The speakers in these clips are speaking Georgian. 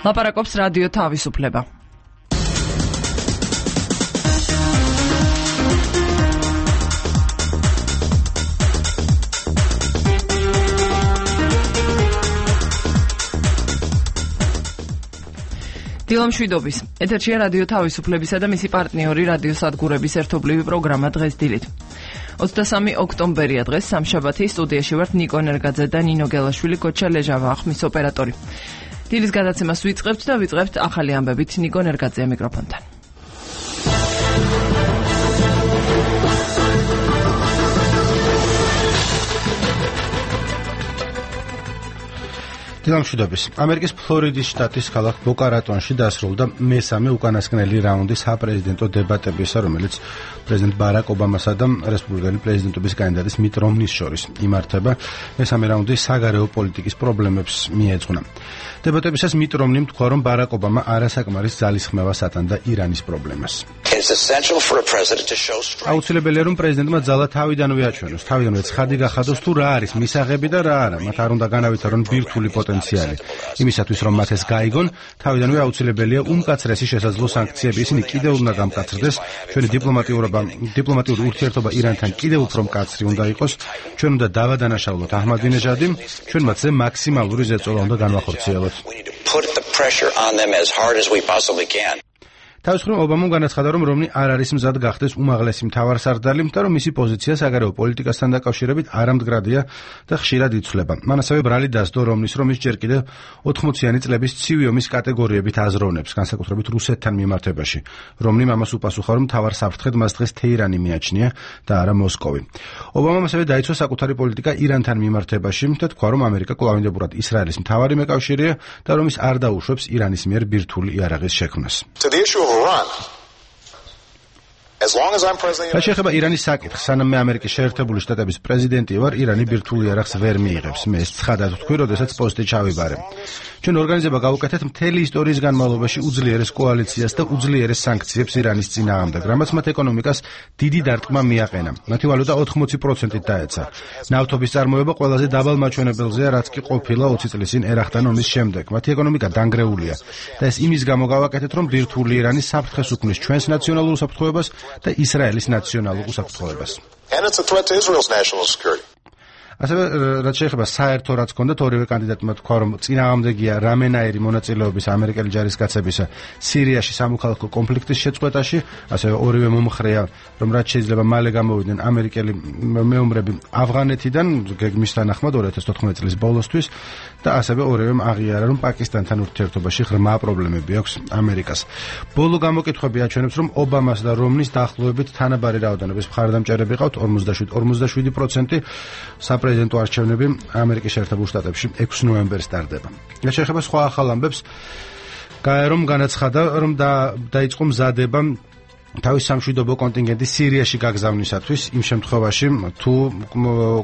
ლაპარაკობს რადიო თავისუფლება. დილამშვიდობის. ეთერშია რადიო თავისუფლებისა და მისი პარტნიორი რადიო სადგურების ერთობლივი პროგრამა დღეს დილით. 23 ოქტომბერია დღეს სამშაბათი. სტუდიაში ვართ ნიკო ნერგაძე და ნინო გელაშვილი, გოჩა ლეჟავა ახმის ოპერატორი. დილის გადაცემას ვიწყებთ და ვიწყებთ ახალი ამბებით. ნიკო ნერგაძეა მიკროფონთან. დილამშვიდობის. ამერიკის ფლორიდის შტატის ქალაქ ბოკა-რატონში დასრულდა მესამე უკანასკნელი რაუნდი საპრეზიდენტო დებატებისა, რომელიც პრეზიდენტ ბარაკ ობამასა და რესპუბლიკელი პრეზიდენტობის კანდიდატის მიტ რომნის შორის იმართება. მესამე რაუნდი საგარეო პოლიტიკის პრობლემებს მიეძღვნა. დებატებისას მიტ რომნიმ თქვა, რომ ბარაკ ობამა არასაკმარის ძალისხმევას ატანდა ირანის პრობლემას. აუცილებელია, რომ პრეზიდენტმა ძალა თავიდანვე აჩვენოს, თავიდანვე ცხადი გახადოს თუ რა არის მისაღები და რა არა. მათ არ უნდა განავითარონ ბირთვული პოტენციალი. იმისათვის, რომ მათ ეს გაიგონ, თავიდანვე აუცილებელია უმკაცრესი შესაძლო სანქციები. ისინი კიდევ უნდა გამკაცრდეს. ჩვენი დიპლომატიური ურთიერთობა ირანთან კიდევ უფრო მკაცრი უნდა იყოს. ჩვენ უნდა დავადანაშაულოთ აჰმადინეჟადი. ჩვენ მათზე მაქსიმალური ზეწოლა უნდა განვახორციელოთ. თავის მხრივ ობამამ განაცხადა, რომ რომნი არ არის მზად გახდეს უმაღლესი მთავარსარდალი და რომ მისი პოზიცია საგარეო პოლიტიკასთან დაკავშირებით არამდგრადია და ხშირად იცვლება. მან ასევე ბრალი დასდო რომნის, რომ ის ჯერ კიდევ 80-იანი წლების ცივი ომის კატეგორიებით აზროვნებს, განსაკუთრებით რუსეთთან მიმართებაში. რომნიმ ამას უპასუხა, რომ მთავარ საფრთხედ მას დღეს თეირანი მიაჩნია და არა მოსკოვი. ობამამ ასევე დაიცვა საკუთარი პოლიტიკა ირანთან მიმართებაში და თქვა, რომ ამერიკა კვლავინდებურად ისრაელის მთავარი მეკავშირეა და რომ ის არ დაუშვებს ირანის მიერ ბირთვული იარაღის შექმნას. შეეხება ირანის საკითხს, სანამ მე ამერიკის შეერთებული შტატების პრეზიდენტი ვარ, ირანი ბირთვულ იარაღს ვერ მიიღებს. მე ეს ცხადად ვთქვი, როდესაც პოსტი ჩავიბარე. ჩვენ ორგანიზება გავუკეთეთ მთელი ისტორიის განმავლობაში უძლიერეს კოალიციას და უძლიერეს სანქციებს ირანის წინააღმდეგ, რამაც მათ ეკონომიკას დიდი დარტყმა მიაყენა. მათი ვალუტა 80%-ით დაეცა. ნავთობის წარმოება ყველაზე დაბალ მაჩვენებელზეა, რაც კი ყოფილა 20 წლის წინ ერახთან ომის შემდეგ. მათი ეკონომიკა დანგრეულია და ეს იმის გამო გავაკეთეთ, რომ ბირთვული ირანი საფრთხეს უქმნის ჩვენს ნაციონალურ უსაფრთხოებას და ისრაელის ნაციონალურ უსაფრთხოებას. ასევე რაც შეეხება საერთო რაც ჰქონდათ ორივე კანდიდატმა თქვა, რომ წინააღმდეგია რამენაირი მონაწილეობის ამერიკელი ჯარისკაცებისა სირიაში სამოქალაქო კონფლიქტის შეწყვეტაში, ასევე ორივე მომხრეა, რომ რაც შეიძლება მალე გამოვიდნენ ამერიკელი მეომრები ავღანეთიდან გეგმის თანახმად 2014 წლის ბოლოსთვის და ასევე ორივემ აღიარა, რომ პაკისტანთან ურთიერთობაში ღრმა პრობლემები აქვს ამერიკას. ბოლო გამოკითხვები აჩვენებს, რომ ობამას და რომნის დაახლოებით თანაბარი რაოდენობის მხარდამჭერები ყავთ 47%. საპრეზიდენტო არჩევნები ამერიკის შეერთებულ შტატებში 6 ნოემბერს ტარდება. რაც შეეხება სხვა ახალ ამბებს, გაერომ განაცხადა, რომ დაიწყო მზადება თავის სამშვიდობო კონტინგენტის სირიაში გაგზავნისათვის, იმ შემთხვევაში, თუ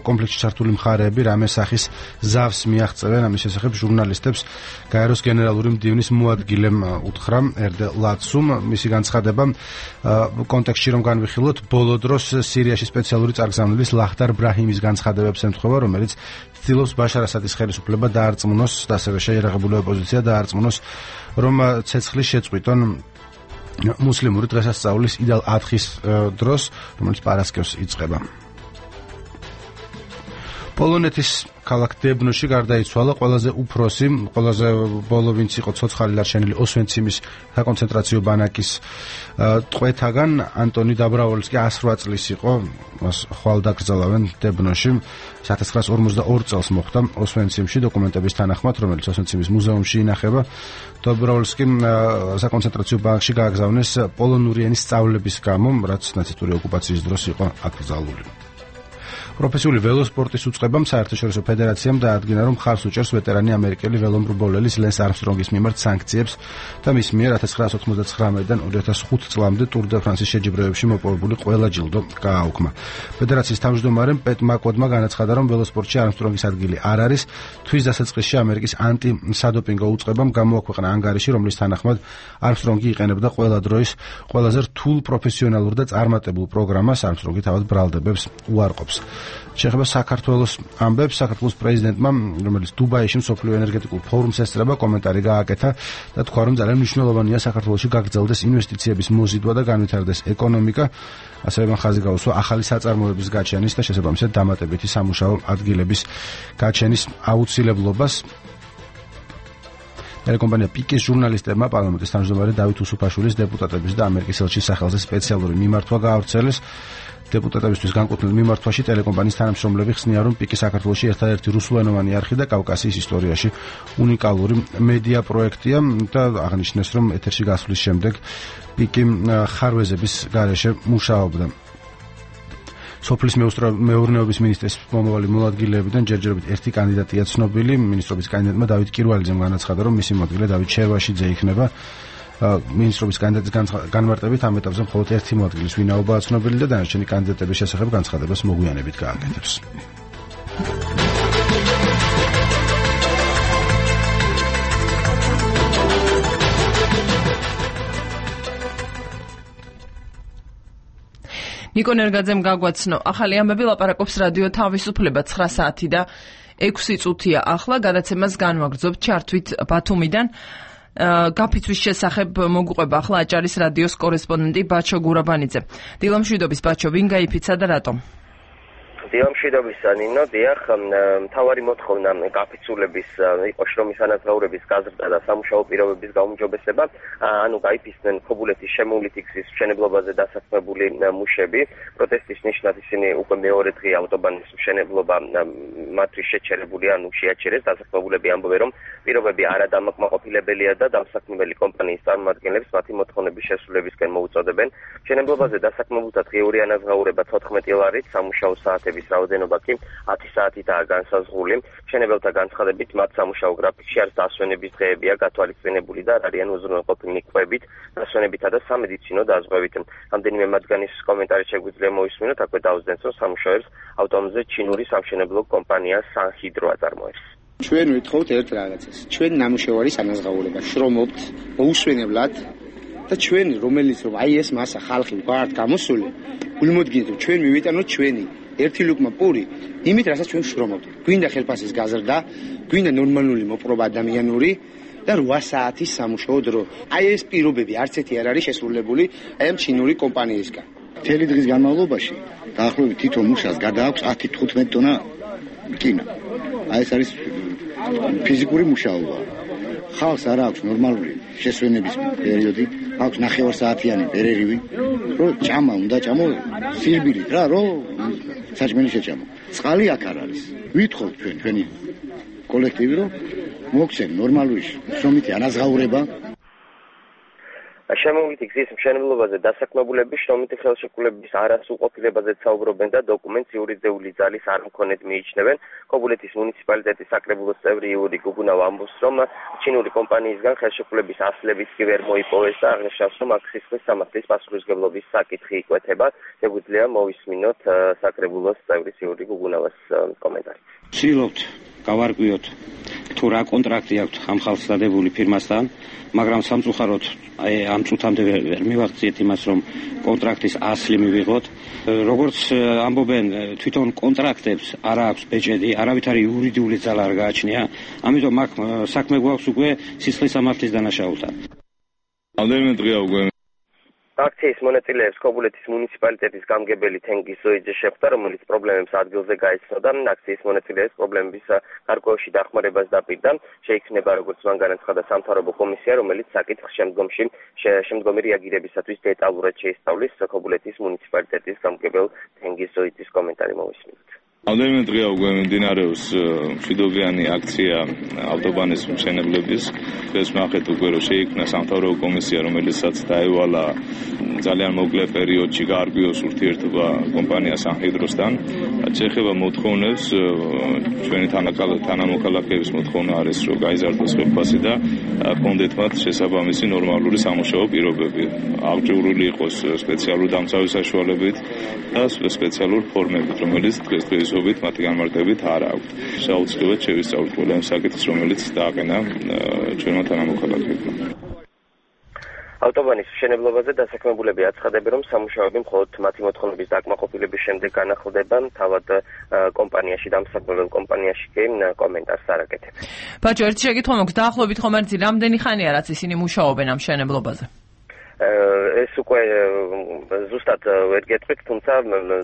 კონფლიქტში ჩართული მხარეები რამე სახის ზავს მიაღწევენ. ამის შესახებ ჟურნალისტებს გაეროს გენერალური მდივნის მოადგილემ უთხრა ერდე ლაცუმ. მისი განცხადება კონტექსტში რომ განვიხილოთ, ბოლო დროს სირიაში სპეციალური წარგზავნილის ლახტარ ბრაჰიმის განცხადებებს ემთხვევა, რომელიც ცდილობს ბაშარ ასადის ხელისუფლება დაარწმუნოს და ასევე შეიარაღებული ოპოზიცია დაარწმუნოს, რომ ცეცხლის შეწყვიტონ მუსლიმური დღესასწაულის იდალ ათხის დროს, რომელიც პარასკევს იწყება. პოლონეთის ქალაქ დებნოში გარდაიცვალა ყველაზე უფროსი, ყველაზე ბოლო ვინც იყო ცოცხალი დარჩენილი ოსვენციმის საკონცენტრაციო ბანაკის ტყვეთაგან ანტონი დაბრავოლსკი 108 წლის იყო, მას ხვალ დაკრძალავენ დებნოში. 1942 წელს მოხდა ოსვენციმში დოკუმენტების თანახმად, რომელიც ოსვენციმის მუზეუმში ინახება. დაბრავოლსკი საკონცენტრაციო ბანაკში გააგზავნეს პოლონური ენის სწავლების გამო, რაც ნაცისტური ოკუპაციის დროს იყო აკრძალული. პროფესიული ველოსპორტის უწყებამ საერთაშორისო ფედერაციამ დაადგინა, რომ ხარს უჭერს ვეტერანი ამერიკელი ველომრბოლელის ლენს არმსტრონგის მიმართ სანქციებს და მის მიერ 1999-დან 2005 წლამდე ტურ დე ფრანსის შეჯიბრებებში მოპოვებული ყველა ჯილდო გააუქმა. ფედერაციის თავმჯდომარემ პეტ მაკოდმა განაცხადა, რომ ველოსპორტში არმსტრონგის ადგილი არ არის. თვის დასაწყისში ამერიკის ანტი-სადოპინგო უწყებამ გამოაქვეყნა ანგარიში, რომლის თანახმად არმსტრონგი იყენებდა ყველა დროის ყველაზე რთულ პროფესიონალურ და წარმატებულ პროგრამას. არმსტრონგი თავად ბრალდებებს უარყოფს. შეეხება საქართველოს ამბებს, საქართველოს პრეზიდენტმა, რომელიც დუბაიში მსოფლიო ენერგეტიკულ ფორუმს ესწრება, კომენტარი გააკეთა და თქვა, რომ ძალიან მნიშვნელოვანია საქართველოში გაგრძელდეს ინვესტიციების მოზიდვა და განვითარდეს ეკონომიკა. ასევე მან ხაზი გაუსვა ახალი საწარმოების გაჩენის და შესაბამისად დამატებითი სამუშაო ადგილების გაჩენის აუცილებლობას. ტელეკომპანია პიკის ჟურნალისტებმა პარლამენტის თავმჯდომარე დავით უსუფაშვილის დეპუტატების და ამერიკის ელჩის სახელზე სპეციალური მიმართვა გაავრცელეს. დეპუტატებისთვის განკუთვნილ მიმართვაში ტელეკომპანიის თანამშრომლები ხსნიან, რომ პიკი საქართველოში ერთადერთი რუსულენოვანი არხი და კავკასიის ისტორიაში უნიკალური მედია პროექტია და აღნიშნეს, რომ ეთერში გასვლის შემდეგ პიკი ხარვეზების გარეშე მუშაობდა. სოფლის მეურნეობის მინისტრის მომავალი მოადგილეებიდან ჯერჯერობით ერთი კანდიდატია ცნობილი. მინისტრობის კანდიდატმა დავით კირვალიძემ განაცხადა, რომ მისი მოადგილე დავით შერვაშიძე იქნება. მინისტრობის კანდიდატის განმარტებით ამ ეტაპზე მხოლოდ ერთი მოადგილის ვინაობაა ცნობილი და დანარჩენი კანდიდატების შესახებ განცხადებას მოგვიანებით გააკეთებს. ნიკო ნერგაძემ გაგვაცნო ახალი ამბები, ლაპარაკობს რადიო თავისუფლება 9 საათი და 6 წუთია ახლა. გადაცემას განვაგრძობთ ჩართვით ბათუმიდან. გაფიცვის შესახებ მოგუყვება ახლა აჭარის რადიოს კორესპონდენტი ბაჩო გურაბანიძე. დილამშვიდობის ბაჩო, ვინ გაიფიცა და რატომ? დილამშვიდობის ნინო, დიახ, მთავარი მოთხოვნა გაფიცულების იყო შრომის ანაზღაურების გაზრდა და სამუშაო პირობების გაუმჯობესება, ანუ გაიფიცნენ ქობულეთის შემოვლითი გზის მშენებლობაზე დასაქმებული მუშები. პროტესტის ნიშნად ისინი უკვე მეორე დღეა ავტობანის მშენებლობა მათთვის შეჩერებული, ანუ შეაჩერეს. დასაქმებულები ამბობენ, რომ პირობები არადამაკმაყოფილებელია და დამსაქმებელი კომპანიის წარმომადგენლებს მათი მოთხოვნების შესრულებისკენ მოუწოდებენ. მშენებლობაზე დასაქმებულთა დღიური ანაზღაურება 14 ლარით, სამუშაო საათების რაოდენობა კი 10 საათითაა განსაზღვრული. მშენებელთა განცხადებით, მათ სამუშაო გრაფიკში არც დასვენების დღეებია გათვალისწინებული და არ არიან უზრუნველყოფილნი კვებით, დასვენებითა და სამედიცინო დაზღვევით. რამდენიმე მათგანის კომენტარი შეგვიძლია მოვისმინოთ, აქვე დაუძდენს, რომ სამუშაოებს ავტომზე ჩინური სამშენებლო კომპანია სანჰიდრო აწარმოებს. ჩვენ ვითხოვთ ერთ რაღაცას. ჩვენ ნამუშევარის ანაზღაურება შრომობთ მოუსვენებლად და ჩვენ რომელიც რომ აი ეს მასა ხალხი ვართ გამოსული, გულმოდგინეთ რომ ჩვენ მივიტანოთ ჩვენი ერთი ლუკმა პური, იმით რასაც ჩვენ შრომობთ. გვინდა ხელფასის გაზრდა, გვინდა ნორმალური მოპყრობა ადამიანური და 8 საათის სამუშაო დრო. აი ეს პირობები არც ერთი არ არის შესრულებული აი ამ ჩინური კომპანიისგან. მთელი დღის განმავლობაში დაახლოებით თითო მუშას გადააქვს 10-15 ტონა რკინა. აი ეს არის ფიზიკური მუშაობა. ხალხს არ აქვს ნორმალური შესვენების პერიოდი, აქვს 9 საათიანი პერიოდი, რომ ჭამა უნდა ჭამო სირბილით რა, რომ საჭმელი შეჭამო. წყალი აქ არ არის. ვითხოვთ ჩვენი კოლექტივი, რომ მოგცენ ნორმალური შრომითი ანაზღაურება. შემოვლითი გზის მშენებლობაზე დასაქმებულები შრომითი ხელშეკრულების არასრულყოფილებაზე საუბრობენ და დოკუმენტს იურიდიული ძალის არ მქონედ მიიჩნევენ. ქობულეთის მუნიციპალიტეტის საკრებულოს წევრი იური გუგუნავა ამბობს, რომ ჩინური კომპანიისგან ხელშეკრულების ასლების კი ვერ მოიპოვეს და აღნიშნავს, რომ აქ სისხლის სამართლის პასუხისმგებლობის საკითხი იკვეთება. შეგვიძლია მოვისმინოთ საკრებულოს წევრის იური გუგუნავას კომენტარი. ვცდილობთ გავარკვიოთ თუ რა კონტრაქტი აქვს ამ ხალხს დადებული ფირმასთან, მაგრამ სამწუხაროდ ამ წუთამდე ვერ მივაღწიეთ იმას, რომ კონტრაქტის ასლი მივიღოთ. როგორც ამბობენ, თვითონ კონტრაქტებს არ აქვს ბეჭედი, არავითარი იურიდიული ძალა არ გააჩნია, ამიტომ აქ საქმე გვაქვს უკვე სისხლის სამართლის დანაშაულთან. რამდენიმე დღეა უკვე აქციის მონაწილეებს ქობულეთის მუნიციპალიტეტის გამგებელი თენგიზ ზოიძე შეხვდა, რომელიც პრობლემებს ადგილზე გაეცნოდა. აქციის მონაწილეებს პრობლემების გარკვეულში დახმარებას დაპირდა. შეიქმნება, როგორც მან განაცხადა, სამთავრობო კომისია, რომელიც საკითხს შემდგომი რეაგირებისათვის დეტალურად შეისწავლის. ქობულეთის მუნიციპალიტეტის გამგებელ თენგიზ ზოიძის კომენტარი მოვისმინოთ. რამდენიმე დღეა უკვე მიმდინარეობს მშვიდობიანი აქცია ავტობანის მშენებლების. ეს ნახეთ უკვე რომ შეიქმნა სამთავრობო კომისია, რომელიცაც დაევალა ძალიან მოკლე პერიოდში გაარკვიოს ურთიერთობა კომპანია სანჰიდროსთან. შეეხება მოთხოვნებს, ჩვენი თანამოქალაქეების მოთხოვნა არის, რომ გაიზარდოს ხელფასი და კონდეთ მათ შესაბამისი ნორმალური სამუშაო პირობები. აღჭურვილი იყოს სპეციალურ დამცავი საშუალებით და სპეციალურ ფორმებით, რომელიც დღესდღეობით მათი განმარტებით არ აქვს. საუცილებლად შევისწავლოთ ყველა იმ საკითხს, რომელიც დააყენა ჩვენმა თანამოქალაქეებმა. ავტობანის მშენებლობაზე დასაქმებულები აცხადებენ, რომ სამუშაოები მხოლოდ მათი მოთხოვნების დაკმაყოფილების შემდეგ განახლდება, თავად კომპანიაში დამსახურებელ კომპანიაში კი კომენტარს არ აკეთებს. ბაჭო, ერთი შეკითხვა მაქვს, დაახლოებით ხომ არის რამდენი ხანია რაც ისინი მუშაობენ ამ მშენებლობაზე? ეს უკვე ზუსტად ვერ გეტყვით, თუმცა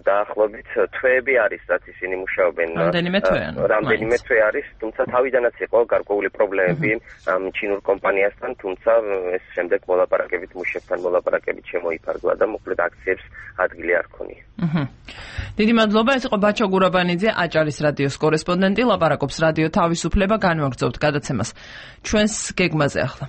დაახლოებით თვეები არის, რაც ისინი მუშაობენ. რამდენიმე თვე არის, თუმცა თავიდანაც იყო გარკვეული პრობლემები ამ ჩინურ კომპანიასთან, თუმცა ეს შემდეგ მოლაპარაკებით მუშებთან მოლაპარაკებით შემოიფარგლა და მოკლედ აქციებს ადგილი არ ქონია. დიდი მადლობა, ეს იყო ბაჩო გურაბანიძე, აჭარის რადიოს კორესპონდენტი, ლაპარაკობს რადიო თავისუფლება, განვაგრძობთ გადაცემას ჩვენს გეგმაზე ახლა.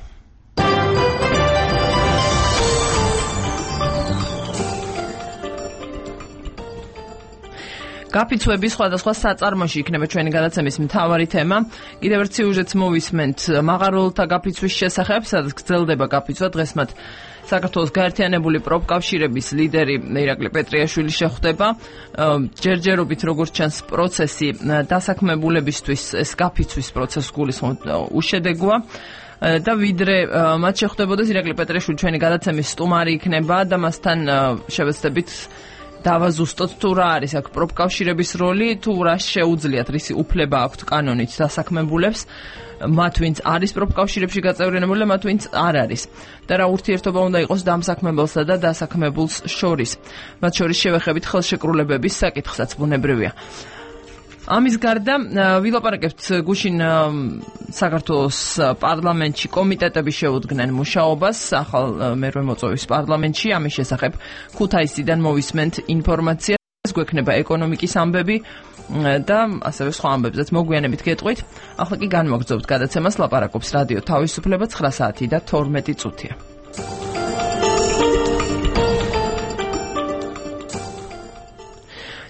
გაფიცვების სხვადასხვა საწარმოში იქნება ჩვენი გადაცემის მთავარი თემა. კიდევ ერთ სიუჟეტს მოვისმენთ მაღაროელთა გაფიცვის შესახებ, სადაც გრძელდება გაფიცვა. დღეს მათ საქართველოს გაერთიანებული პროფკავშირების ლიდერი ირაკლი პეტრიაშვილი შეხვდება. ჯერჯერობით როგორც ჩანს პროცესი დასაქმებულებისთვის ეს გაფიცვის პროცესი გულისხმობ უშედეგოა. და ვიდრე მათ შეხვდებოდეს ირაკლი პეტრიაშვილი ჩვენი გადაცემის სტუმარი იქნება და მასთან შევეცდებით დავაზუსტოთ თუ რა არის აქ პროფკავშირების როლი, თუ რა შეუძლიათ, რისი უფლება აქვთ კანონით დასაქმებულებს, მათ ვინც არის პროფკავშირებში გაწევრიანებული, მათ ვინც არ არის. და რა ურთიერთობა უნდა იყოს დამსაქმებელსა და დასაქმებულს შორის. მათ შორის შევეხებით ხელშეკრულებების საკითხსაც ბუნებრივია. ამის გარდა ვილაპარაკებთ გუშინ საქართველოს პარლამენტში კომიტეტები შეუდგნენ მუშაობას ახალ მერვე მოწვევის პარლამენტში. ამის შესახებ ქუთაისიდან მოვისმენთ ინფორმაციას, გვექნება ეკონომიკის ამბები და ასევე სხვა ამბებზეც მოგვიანებით გეტყვით. ახლა კი განვაგრძობთ გადაცემას, ლაპარაკობს რადიო თავისუფლება, 9 საათი და 12 წუთია.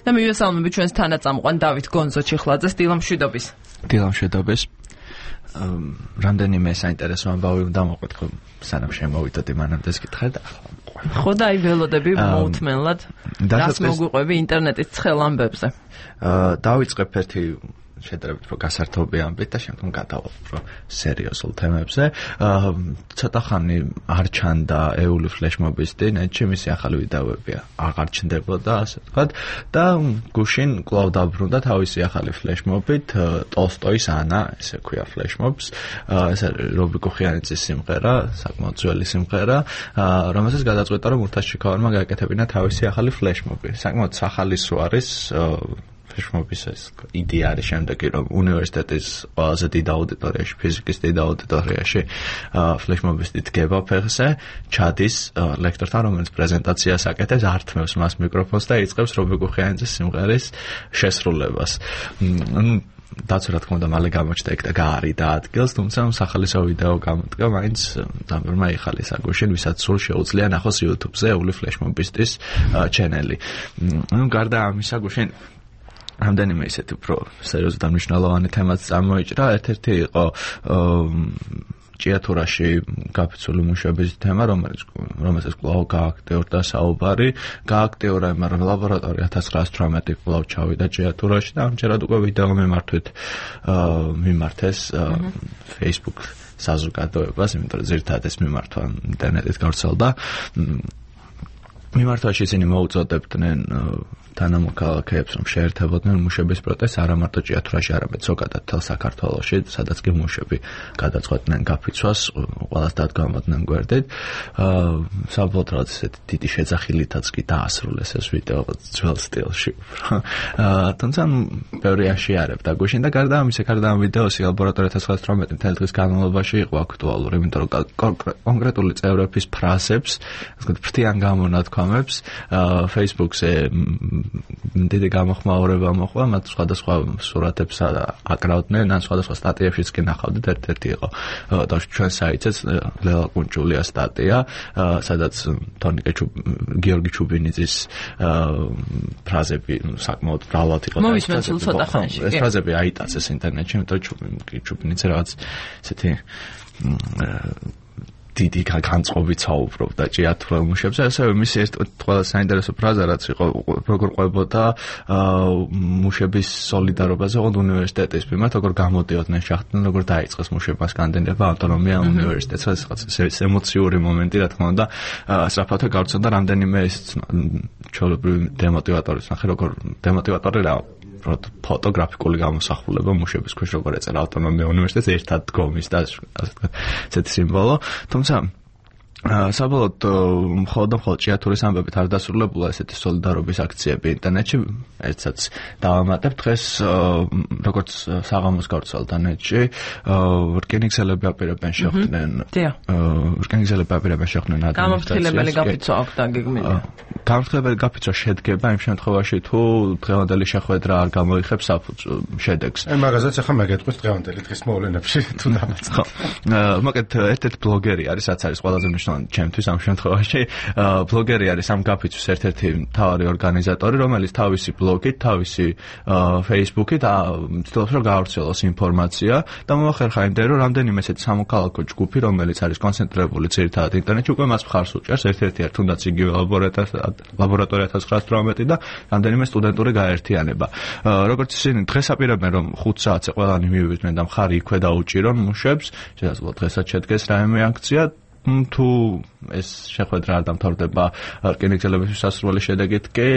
და მივესალმებით ჩვენს თანაწამყვან დავით გონზო ჩიხლაძეს. დილამშვიდობის. დილამშვიდობის. რამდენიმე საინტერესო ამბავი უნდა მოყვეთ, ხო სანამ შემოვიდოდი მანამდე გითხარ და ხო და აი ველოდები მოუთმენლად რას მოგვიყვები ინტერნეტის ცხელ ამბებზე. დავიწყებ ერთი შედარებით უფრო გასართობი ამბით და შემდგომ გადავალთ უფრო სერიოზულ თემებზე. ცოტა ხანი არ ჩანდა ეული ფლეშმობის დინეთში, მისი ახალი ვიდეოები აღარ ჩნდებოდა, ასე ვთქვათ, და გუშინ კვლავ დაბრუნდა თავისი ახალი ფლეშმობით, ტოლსტოის ანა, ესე ქვია ფლეშმობს. ეს რობი კუხიანიძის სიმღერა, საკმაოდ ძველი სიმღერა, რომელსაც გადაწყვეტა, რომ ურთაშჩიკოვანმა გააკეთებინა თავისი ახალი ფლეშმობი. საკმაოდ სახალისო არის ფლეშმობის ეს იდეა არის შემდეგი, რომ უნივერსიტეტის ყველაზე დიდ აუდიტორიაში, ფიზიკის დიდ აუდიტორიაში ფლეშმობის დგება ფეხზე, ჩადის ლექტორთან, რომელიც პრეზენტაციას აკეთებს, ართმევს მას მიკროფონს და იწყებს რობი კუხიანიძის სიმღერის შესრულებას. დაც რა თქმა უნდა მალე გამოჩნდა ეგ და გაარიდა ადგილს, თუმცა სახალისო ვიდეო გამოდგა, მაინც დამბრმა იხალისა გუშინ, ვისაც სულ შეუძლია ნახოს YouTube-ზე ეული ფლეშმობისტის ჩენელი. გარდა ამისა გუშინ რამდენიმე ისეთი უფრო სერიოზული და მნიშვნელოვანი თემაც წარმოიჭრა. ერთ-ერთი იყო ჭიათურაში გაფიცვული მუშების თემა, რომელსაც კვლავ გააქტიურდა საუბარი. გააქტიურა, მაგრამ ლაბორატორია 1918 კვლავ ჩავიდა ჭიათურაში და ამჯერად უკვე ვიდეო მიმართეს Facebook საზოგადოებას, იმიტომ რომ ზირთადად ეს მიმართვა ინტერნეტით გავრცელდა. მიმართვაში ისინი მოუწოდებდნენ თანამოქალაქეებს, რომ შეერთებოდნენ მუშების პროტესტს არა მარტო ჭიათურაში, არამედ ზოგადად მთელ საქართველოში, სადაც კი მუშები გადაწყვეტდნენ გაფიცვას, ყველას დადგამოდნენ გვერდით. საბოლოოდ რაღაც ესეთი დიდი შეძახილითაც კი დაასრულეს ეს ვიდეო ძველ სტილში. თუმცა ბევრი აშიარებდა გუშინ და გარდა ამისა, გარდა ამ ვიდეოსი ლაბორატორია 1918 მთელი დღის განმავლობაში იყო აქტუალური, იმიტომ რომ კონკრეტული წევრების ფრაზებს, ასე ფრთიან გამონათქვამებს Facebook-ზე დიდი გამოხმაურება მოხდა, მათ სხვადასხვა სურათებს აკრავდნენ, ან სხვადასხვა სტატიებშიც კი ნახავდით. ერთ-ერთი იყო ჩვენ საიტზეც ლელა კუნჭულიას სტატია, სადაც გიორგი ჩუბინიძის ფრაზები საკმაოდ მრავლად იყო. მოვისმენთ სულ ცოტა ხანში. ეს ფრაზები აიტაცეს ინტერნეტში, იმიტომ რომ ჩუბინიძე რაღაც ესეთი დიდი განწყობით საუბრობდა ჭიათურელ მუშებზე, ასევე მისი ერთ ყველა საინტერესო ფრაზა რაც იყო როგორ ყვებოდა მუშების სოლიდარობაზე ოღონდ უნივერსიტეტის მიმართ, როგორ გამოდიოდნენ შახტიდან, როგორ დაიწყეს მუშებმა სკანდინავია ავტონომია უნივერსიტეტს, ეს ემოციური მომენტი, რა თქმა უნდა, სწრაფად გავრცელდა რამდენიმე ეს ჩვეულებრივი დემოტივატორის ნახე, როგორ დემოტივატორი რა ფოტოგრაფიკული გამოსახულება მუშების ქვეშ როგორ ეწერა ავტონომია უნივერსიტეტს ერთად დგომის და ესეთი სიმბოლო, თუმცა საბოლოოდ მხოლოდ ჭიათურის ამბებით არ დასრულებულა ესეთი სოლიდარობის აქციები ინტერნეტში, ერთსაც დავამატებ დღეს როგორც საღამოს გავრცელდა ნეტში, რკინიგზელები აპირებენ შეხვდნენ გამოფრთხილებელი გაფიცვა აქვს დაგეგმილი. გამოფრთხილებელი გაფიცვა შედგება იმ შემთხვევაში თუ დღევანდელი შეხვედრა არ გამოიხებს შედეგს. მაგაზეც ახლა მეგეთყვით დღევანდელი დღის მოვლენებში თუ დამაწყო. მაგათ ერთ-ერთი ბლოგერი არის, რაც არის ყველაზე ჩემთვის ამ შემთხვევაში ბლოგერი არის ამ გაფიცვის ერთ-ერთი მთავარი ორგანიზატორი, რომელიც თავისი ბლოგით, თავისი Facebook-ით ცდილობს რომ გაავრცელოს ინფორმაცია და მომახერხა იმდენ რომ რამდენიმე ესეთი სამოქალაქო ჯგუფი, რომელიც არის კონცენტრირებული ძირითადად ინტერნეტში, უკვე მას მხარს უჭერს, ერთ-ერთი არის თუნდაც იგივე ლაბორატორია 1918 და რამდენიმე სტუდენტური გაერთიანება. როგორც ისინი დღეს აპირებენ რომ 5 საათზე ყველანი მივიდნენ და მხარი იქვე დაუჭირონ მუშებს, შესაძლოა დღესაც შედგეს რაიმე აქცია თუ ეს შეხვედრა არ დამთავრდება რკინიგზელების სასრული შედეგით კი,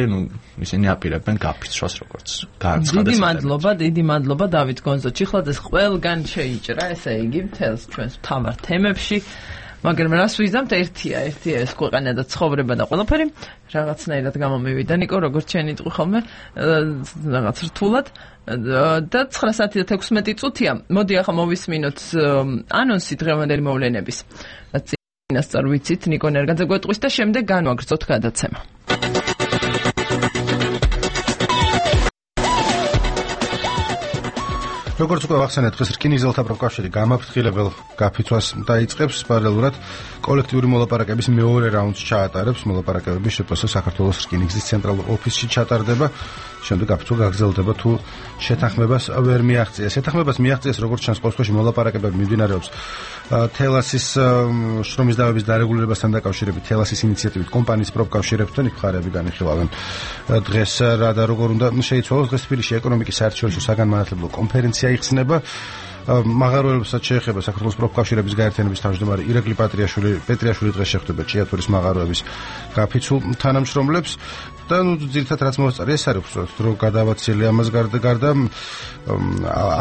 ისინი აპირებენ გაფიცვას როგორც განცხადეს. დიდი მადლობა დავით გონზო-ჩიხლაძეს, ყველგან შეიჭრა, ესე იგი მთელს ჩვენს მთავარ თემებში. მაგრამ რას ვიზამთ, ერთია ეს ქვეყანა და ცხოვრება და ყველაფერი რაღაცნაირად გამომივიდა. ნიკო, როგორც შენ იტყვი ხოლმე, რაღაც რთულად და 9 საათი და 16 წუთია. მოდი ახლა მოვისმინოთ ანონსი დღევანდელი მოვლენების. წინასწარ ვიცით, ნიკო ნერგაძე გვეტყვის და შემდეგ განვაგრძოთ გადაცემა. როგორც უკვე ვახსენეთ, დღეს რკინიგზელთა პროფკავშირი გამაფრთხილებელ გაფიცვას დაიწყებს, პარალელურად კოლექტიური მოლაპარაკების მეორე რაუნდს ჩაატარებს. მოლაპარაკებები შეფასება საქართველოს რკინიგზის ცენტრალურ ოფისში ჩატარდება. შემდეგ გაფიცვა გაგრძელდება თუ შეთანხმებას ვერ მიაღწიეს. შეთანხმებას მიაღწიეს, როგორც ჩანს ყოველთვის მოლაპარაკებები მიმდინარეობს თელასის შრომის დავების დარეგულირებასთან დაკავშირებით, თელასის ინიციატივით კომპანიის პროფკავშირებთან მხარეები განიხილავენ. დღეს რა და როგორ უნდა შეიცვალოს, დღეს თბილისში ეკონომიკის საერთაშორისო საგანმანათლებლო კონფერენცია იხსნება. მაღაროებსაც შეეხება საქართველოს პროფკავშირების გაერთიანების თავმჯდომარე ირაკლი პეტრიაშვილი დღეს შეხვდება ჭიათურის მაღაროების გაფიცულ თანამშრომლებს და ძირითადად რაც მოსწარი ეს არის რომ გადავაცილი ამას გარდა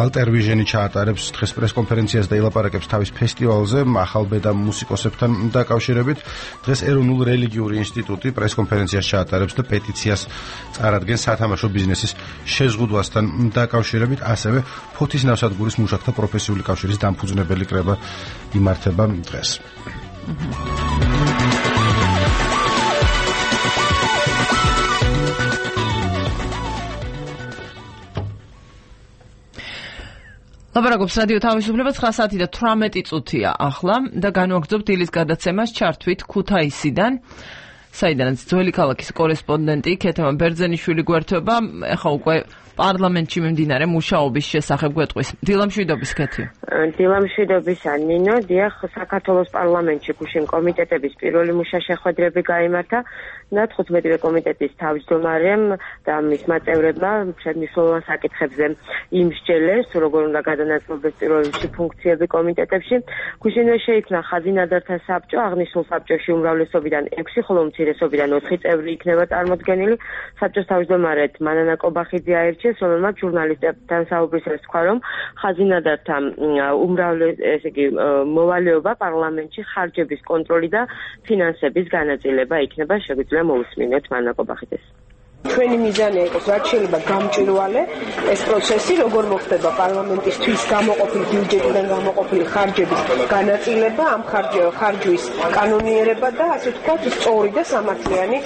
ალტერ ვიჟენი ჩაატარებს დღეს პრესკონფერენციას და ილაპარაკებს თავის ფესტივალზე ახალბედა მუსიკოსებთან დაკავშირებით. დღეს ეროვნულ რელიგიური ინსტიტუტი პრესკონფერენციას ჩაატარებს და პეტიციას წარადგენს სათამაშო ბიზნესის შეზღუდვასთან დაკავშირებით, ასევე ფოთის ნავსადგურის მუშაკთა პროფესიული კავშირის დამფუძნებელი კრება იმართება დღეს. ლაპარაკობს რადიო თავისუფლება 9 საათი და 18 წუთია ახლა და განვაგრძობთ დილის გადაცემას ჩართვით ქუთაისიდან, საიდანაც ძველი ქალაქის კორესპონდენტი ქეთემა ბერძენიშვილი გვერდება, ახლა უკვე პარლამენტში მიმდინარე მუშაობის შესახებ გვეტყვის. დილამშვიდობის ქეთი. დილამშვიდობისა ნინო, დიახ, საქართველოს პარლამენტში გუშინ კომიტეტების პირველი მუშა-შეხვედრები გაიმართა და 15-ვე კომიტეტის თავმჯდომარემ და მისმა წევრებმა მნიშვნელოვან საკითხებზე იმსჯელეს, როგორ უნდა გადანაწილდეს პირველ რიგში ფუნქციები კომიტეტებში. გუშინვე შეიქმნა ხაზინადართა საბჭო, აღნიშნულ საბჭოში უმრავლესობიდან 6, ხოლო უმცირესობიდან 4 წევრი იქნება წარმოდგენილი. საბჭოს თავმჯდომარედ მანანა კობახიძე აირჩიეს, რომელმაც ჟურნალისტებთან საუბრისას თქვა, რომ ხაზინადართა მოვალეობა პარლამენტში ხარჯების კონტროლი და ფინანსების განაწილება იქნება. შეგვიძლია მოვისმინოთ მანანა კობახიძეს. ჩვენი მიზანია იყოს რაც შეიძლება გამჭვირვალე ეს პროცესი, როგორ მოხდება პარლამენტისთვის გამოყოფილი ბიუჯეტიდან გამოყოფილი ხარჯების განაწილება, ამ ხარჯვის კანონიერება და ასე ვთქვათ სწორი და სამართლიანი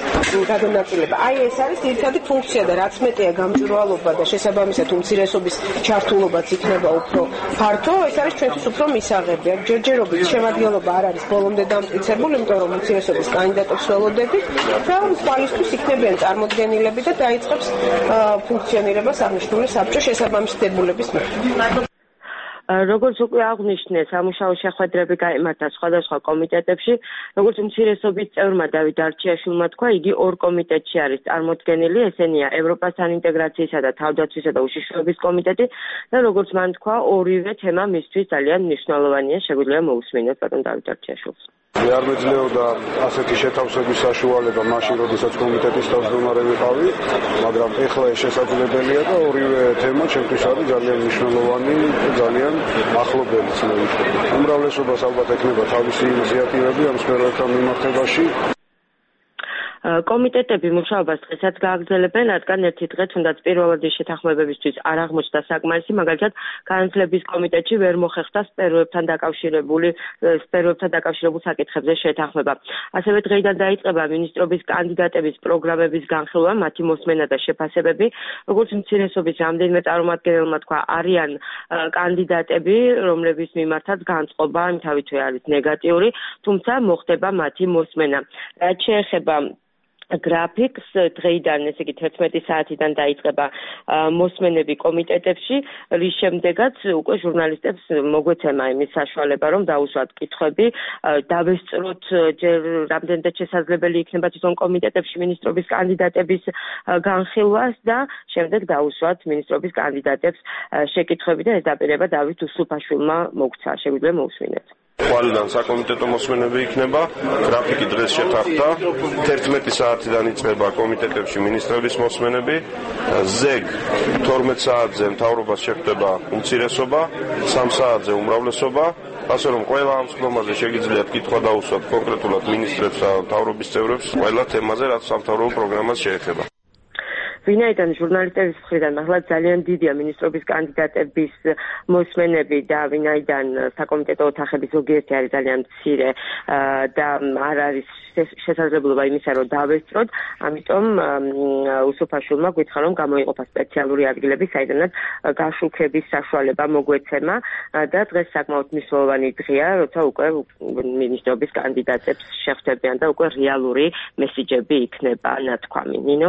გადანაწილება. აი ეს არის ძირითადი ფუნქცია და რაც მეტია გამჭვირვალობა და შესაბამისად უმცირესობის ჩართულობაც იქნება უფრო ფართო, ეს არის ჩვენთვის უფრო მისაღები. ჯერჯერობით შემადგენლობა არ არის ბოლომდე დამტკიცებული, იმიტომ რომ უმცირესობის კანდიდატებს ველოდებით და თვალისთვის იქნებიან წარმოდგენილი და დაიწყებს ფუნქციონირებას აღნიშნული საბჭო შესაბამისი დებულების მიხედვით. როგორც უკვე აღნიშნე, სამუშაო შეხვედრები გაიმართა სხვადასხვა კომიტეტებში, როგორც უმცირესობის წევრმა დავით არჩიაშვილმა თქვა, იგი ორ კომიტეტში არის წარმოდგენილი, ესენია ევროპასთან ინტეგრაციისა და თავდაცვისა და უშიშროების კომიტეტი და როგორც მან თქვა, ორივე თემა მისთვის ძალიან მნიშვნელოვანია, შეგვიძლია მოусმინოთ ბატონ დავით არჩიაშვილს. მე არ მეძლეოდა ასეთი შეთავსების საშუალება მაშინ, როდესაც კომიტეტის თავმჯდომარე ვიყავი, მაგრამ ეხლა ეს შესაძლებელია და ორივე თემა ჩემთვის არის ძალიან მნიშვნელოვანი და ძალიან ახლობელი ცნობილი. უმრავლესობას ალბათ ექნება თავისი ინიციატივები ამ სფეროებთან მიმართებაში. კომიტეტები მუშაობას დღესაც გააგრძელებენ, რადგან ერთი დღე თუნდაც პირველადი შეთანხმებებისთვის არ აღმოჩნდა საკმარისი, მაგალითად, განათლების კომიტეტში ვერ მოხერხდა სფეროებთან დაკავშირებულ საკითხებზე შეთანხმება. ასევე დღეიდან დაიწყება მინისტრობის კანდიდატების პროგრამების განხილვა, მათი მოსმენა და შეფასებები, როგორც უმცირესობის რამდენიმე წარმომადგენელმა თქვა, არიან კანდიდატები, რომლების მიმართაც განწყობა თავითვე არის ნეგატიური, თუმცა მოხდება მათი მოსმენა. რაც შეეხება გრაფიკს, დღეიდან, ესე იგი 11 საათიდან დაიწყება მოსმენები კომიტეტებში, რის შემდეგაც უკვე ჟურნალისტებს მოგვეცემა იმის საშუალება, რომ დაუსვათ კითხვები, დავესწროთ ჯერ რამდენადაც შესაძლებელი იქნება თვითონ კომიტეტებში მინისტრობის კანდიდატების განხილვას და შემდეგ დაუსვათ მინისტრობის კანდიდატებს შეკითხვები და ეს დაპირება დავით უსუფაშვილმა მოგცა, შეგვიძლია მოусმინეთ. ყველგან საკომიტეტო მოსმენები იქნება, გრაფიკი დღეს შეთანხმდა, 11 საათიდან იწყება კომიტეტებში მინისტრების მოსმენები, ზეგ 12 საათზე მთავრობას შეხვდება უმცირესობა, 3 საათზე უმრავლესობა, ასე რომ ყველა ამ სხდომაზე შეგიძლიათ კითხვა დაუსვათ კონკრეტულად მინისტრებს და მთავრობის წევრებს ყველა თემაზე, რაც სამთავრობო პროგრამას შეეხება. ვინაიდან ჟურნალისტების მხრიდან ახლა ძალიან დიდია მინისტრობის კანდიდატების მოსმენები და ვინაიდან საკომიტეტო ოთახები ზოგიერთი არის ძალიან მცირე და არ არის შესაძლებლობა იმისა, რომ დავესწროთ, ამიტომ უსუფაშვილმა გითხრა, რომ გამოიყოფა სპეციალური ადგილები, საიდანაც გაშუქების საშუალება მოგვეცემა და დღეს საკმაოდ მნიშვნელოვანი დღეა, როცა უკვე მინისტრობის კანდიდატებს შეხვდებიან და უკვე რეალური მესიჯები იქნება ნათქვამი. ნინო?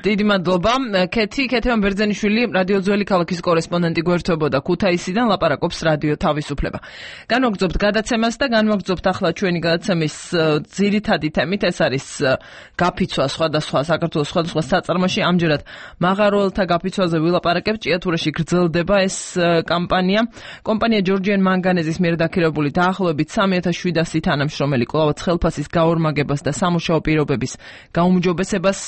დიდი მადლობა. ქეთევან ბერძენიშვილი, რადიო ძველი ქალაქის კორესპონდენტი გვერდებოდა ქუთაისიდან, ლაპარაკობს რადიო თავისუფლება. განვაგრძობთ გადაცემას და განვაგრძობთ ახლა ჩვენი გადაცემის ძირითადი თემით, ეს არის გაფიცვა საქართველოს სხვადასხვა საწარმოში. ამჯერად მაღაროელთა გაფიცვაზე ვილაპარაკებთ. ჭიათურაში გრძელდება ეს კამპანია. კომპანია ჯორჯიან მანგანეზის მიერ დაქირავებული დაახლოებით 3700 თანამშრომელი კვლავაც ხელფასის გაორმაგებას და სამუშაო პირობების გაუმჯობესებას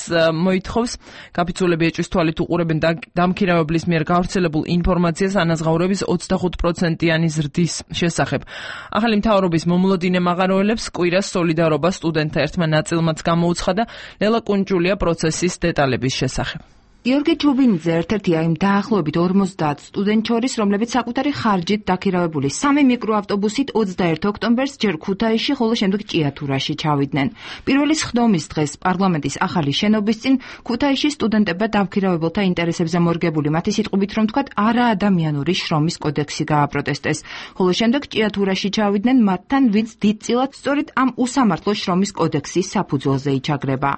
მოითხოვს. გაფიცულები ეჭვის თვალით უყურებენ დამქირავებლის მიერ გავრცელებულ ინფორმაციას ანაზღაურების 25%-იანი ზრდის შესახებ. ახალი მთავრობის მომლოდინე მაღაროელებს კვირას სოლიდარობა სტუდენტთა ერთმა ნაწილმაც გამოუცხადა. ლელა კუნჭულია პროცესის დეტალების შესახებ. გიორგი ჩუბინიძე ერთ-ერთია იმ დაახლოებით 50 სტუდენტ შორის, რომლებიც საკუთარი ხარჯით დაქირავებული 3 მიკროავტობუსით 21 ოქტომბერს ჯერ ქუთაისში, ხოლო შემდეგ ჭიათურაში ჩავიდნენ. პირველი სხდომის დღეს პარლამენტის ახალი შენობის წინ ქუთაისში სტუდენტებმა დამქირავებელთა ინტერესებზე მორგებული მათი სიტყვით რომ თქვათ არაადამიანური შრომის კოდექსი გააპროტესტეს, ხოლო შემდეგ ჭიათურაში ჩავიდნენ მათთან, ვინც დიდწილად სწორედ ამ უსამართლო შრომის კოდექსის საფუძველზე იჩაგრება.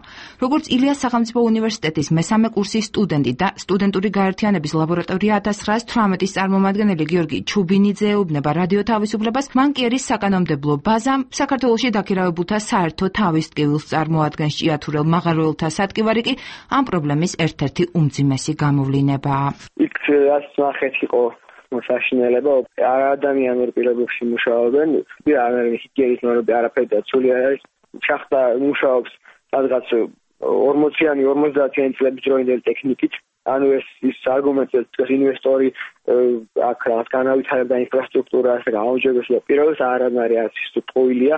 როგორც ილიას სახელმწიფო უნივერსიტეტის მესამე კურსის სტუდენტი და სტუდენტური გაერთიანების ლაბორატორია 1918-ის წარმომადგენელი გიორგი ჩუბინიძე ეუბნება რადიო თავისუფლებას, მან კი არის საკანონმდებლო ბაზა საქართველოში დაქირავებულთა საერთო თავის ტკივილს წარმოადგენს. ჭიათურელ მაღაროელთა სატკივარი კი ამ პრობლემის ერთ-ერთი უმძიმესი გამოვლინებაა. იქ რაც ნახეთ იყო საშინელება, არაადამიანურ პირობებში მუშაობენ, ჰიგიენის ნორმები არაფერი დაცული არ არის. შახტა მუშაობს სადღაც 40-იანი 50-იანი წლების დროინდელი ტექნიკით, ანუ ეს არგუმენტებს ინვესტორი აქ რაღაც განავითარებდა ინფრასტრუქტურას, გაუმჯობესდა პირობებს, არანაირი არის ტყუილია.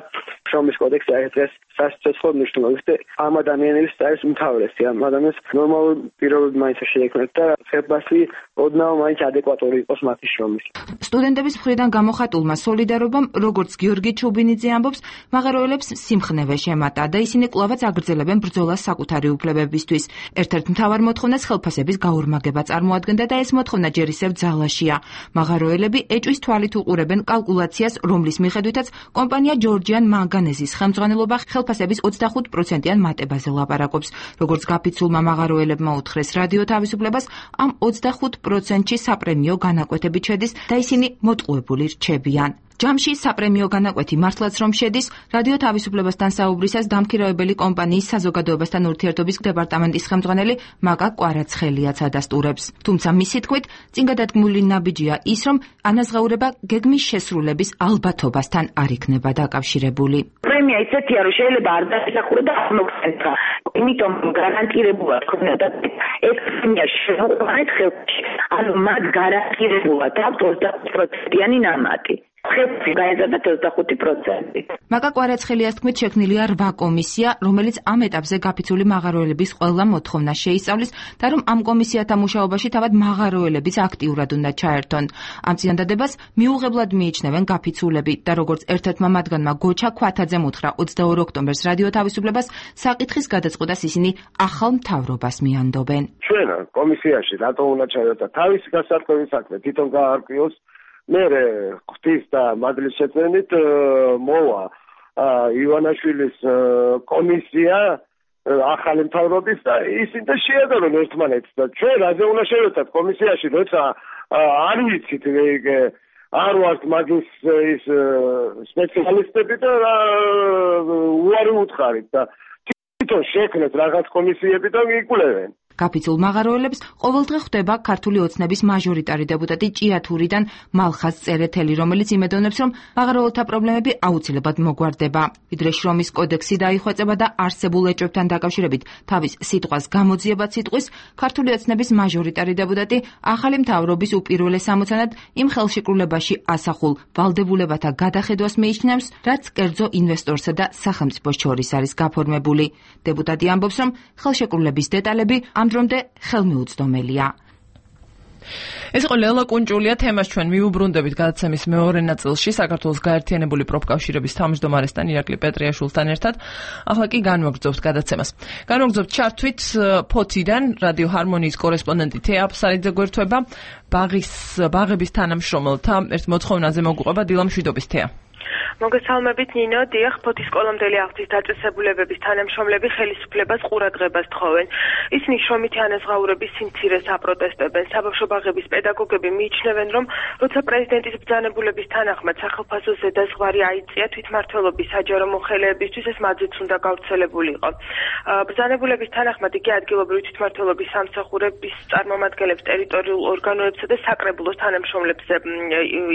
შრომის კოდექსი არის დღეს სასიცოცხლო მნიშვნელობის და ამ ადამიანების არის უმთავრესი. ამ ადამიანს ნორმალური პირობები მაინც შეექმნათ და ხელფასი ოდნავ მაინც ადეკვატური იყოს მათი შრომის. სტუდენტების მხრიდან გამოხატულმა სოლიდარობამ, როგორც გიორგი ჩუბინიძე ამბობს, მაღაროელებს სიმხნევე შემატა და ისინი კვლავაც აგრძელებენ ბრძოლას საკუთარი უფლებებისთვის. ერთ-ერთ მთავარ მოთხოვნას ხელფასების გაორმაგება წარმოადგენდა და ეს მოთხოვნა ჯერ ისევ ძალად ძალაშია. მაღაროელები ეჭვის თვალით უყურებენ კალკულაციას, რომლის მიხედვითაც კომპანია Georgian Manganese-ის ხელმძღვანელობა ხელფასების 25%-იან მატებაზე ლაპარაკობს. Როგორც გაფიცულმა მაღაროელებმა უთხრეს რადიო თავისუფლებას, ამ 25%-ში საპრემიო განაკვეთები შედის და ისინი მოტყუებული რჩებიან. ჯამში საპრემიო განაკვეთი მართლაც რომ შედის, რადიო თავისუფლებასთან საუბრისას დამქირავებელი კომპანიის საზოგადოებასთან ურთიერთობის დეპარტამენტის ხელმძღვანელი მაკა კვარაცხელიაც ადასტურებს. თუმცა მისი თქმით, წინ გადადგმული ნაბიჯია ის, რომ ანაზღაურება გეგმის შესრულების ალბათობასთან არ იქნება დაკავშირებული. პრემია ისეთია, რომ შეიძლება არ დაესახურება და არ მოგხსენებდა. იმიტომ გარანტირებულად ქონდა ეს პრემია შეუყვანეთ ხელში. ანუ მათ გარანტირებულად აქვს 25%-იანი ნამატი. გაეზარდა 25%. მაკა კვარაცხელიას თქმით, შექმნილია 8 კომისია, რომელიც ამ ეტაპზე გაფიცული მაღაროელების ყველა მოთხოვნას შეისწავლის და რომ ამ კომისიათა მუშაობაში თავად მაღაროელებიც აქტიურად უნდა ჩაერთონ. ამ წინადადებას მიუღებლად მიიჩნევენ გაფიცულები და როგორც ერთ-ერთმა მათგანმა გოჩა ქვათაძემ უთხრა 22 ოქტომბერს რადიო თავისუფლებას, საკითხის გადაწყვეტას ისინი ახალ მთავრობას მიანდობენ. ჩვენ კომისიაში რატო უნდა ჩაერთო თავისი გასართობი საქმე თვითონ გაარკვიოს. მე ღვთის და მადლის შეწმენით მოვა ივანაშვილის კომისია ახალი მთავრობის და ისინი და შეადარონ ერთმანეთს და ჩვენ რაზე უნდა შევეცდათ კომისიაში, როცა არ ვიცით არ ვართ მაგის ის სპეციალისტები და უარი უთხარით და თვითონ შექმნეთ რაღაც კომისიები და იკვლევენ. გაფიცულ მაღაროელებს ყოველდღე ხვდება ქართული ოცნების მაჟორიტარი დეპუტატი ჭიათურიდან მალხაზ წერეთელი, რომელიც იმედოვნებს, რომ მაღაროელთა პრობლემები აუცილებლად მოგვარდება. ვიდრე შრომის კოდექსი დაიხვეწება და არსებულ ეჭვებთან დაკავშირებით თავის სიტყვას გამოძიებაც იტყვის, ქართული ოცნების მაჟორიტარი დეპუტატი ახალი მთავრობის უპირველეს ამოცანად იმ ხელშეკრულებაში ასახულ ვალდებულებათა გადახედვას მიიჩნევს, რაც კერძო ინვესტორსა და სახელმწიფოს შორის არის გაფორმებული. დეპუტატი ამბობს, რომ ხელშეკრულების დეტალები დრომდე ხელმიუწვდომელია. ეს იყო ლელა კუნჭულია, თემას ჩვენ მიუბრუნდებით გადაცემის მეორე ნაწილში საქართველოს გაერთიანებული პროფკავშირების თავმჯდომარესთან ირაკლი პეტრიაშვილთან ერთად. ახლა კი განვაგრძობთ გადაცემას. განვაგრძობთ ჩართვით ფოთიდან რადიო ჰარმონიის კორესპონდენტი თეა აფსარიძე გვერდება ბაღების თანამშრომელთა ერთ მოთხოვნაზე მოგვიყვება დილა მშვიდობის თეა. მოგესალმებით ნინო, დიახ, ფოთის კოლომდელი აღზრდის დაწესებულებების თანამშრომლები ხელისუფლებას ყურადღებას თხოვენ. ისინი შრომითი ანაზღაურების სიმცირეს აპროტესტებენ. საბავშვო ბაღების პედაგოგები მიიჩნევენ, რომ როცა პრეზიდენტის ბრძანებულების თანახმად სახელმწიფო ზედაზღვარი აიწია თვითმმართველობის საჯარო მოხელეებისთვის, ეს მათზეც უნდა გავრცელებულიყო. ბრძანებულების თანახმად იგი ადგილობრივი თვითმმართველობის სამსახურების წარმომადგენლებს, ტერიტორიულ ორგანოებსა და საკრებულოს თანამშრომლებს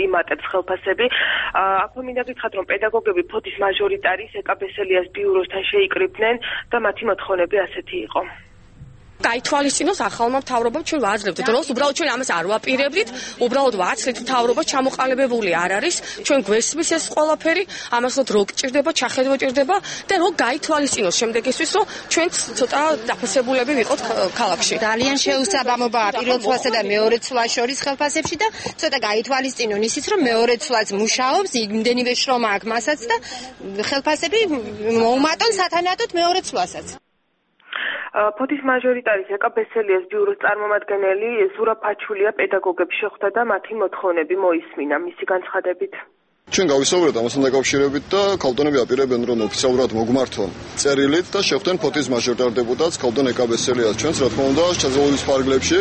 იმატებს ხელფასები. აქვე მინდა გითხრათ, რომ პედაგოგები ფოთის მაჟორიტარის ეკაბესელიას ბიუროსთან შეიკრიბნენ და მათი მოთხოვნები ასეთი იყო. გაითვალისწინოს ახალმა მთავრობამ, ჩვენ ვაძლევთ დროს, უბრალოდ ჩვენ ამას არ ვაპირებდით, უბრალოდ ვაცლით მთავრობა ჩამოყალიბებული არ არის, ჩვენ გვესმის ეს ყველაფერი, ამას რო გჭირდება, ჩახედვა ჭირდება და რო გაითვალისწინოს შემდეგისთვის, რომ ჩვენ ცოტა დაფასებულები ვიყოთ ქალაქში. ძალიან შეუსაბამობაა პირველ ცვლასა და მეორე ცვლას შორის ხელფასებში და ცოტა გაითვალისწინონ ისიც, რომ მეორე ცვლაც მუშაობს, იმდენივე შრომა აქვს მასაც და ხელფასები მოუმატონ სათანადოდ მეორე ცვლასაც. ფოთის მაჟორიტარის ეკაბესელიას ბიუროს წარმომადგენელი ზურაფაჩულია პედაგოგებს შეხვდა და მათი მოთხოვნები მოისმინა. მისი განცხადებით, ჩვენ გავისაუბრეთ ამასთან დაკავშირებით და ქალბატონები აპირებენ, რომ ოფიციალურად მოგმართონ წერილით და შეხვდნენ ფოთის მაჟორიტარ დეპუტატს ქალბატონ ეკაბესელიას. ჩვენც რა თქმა უნდა შესაძლებლობის ფარგლებში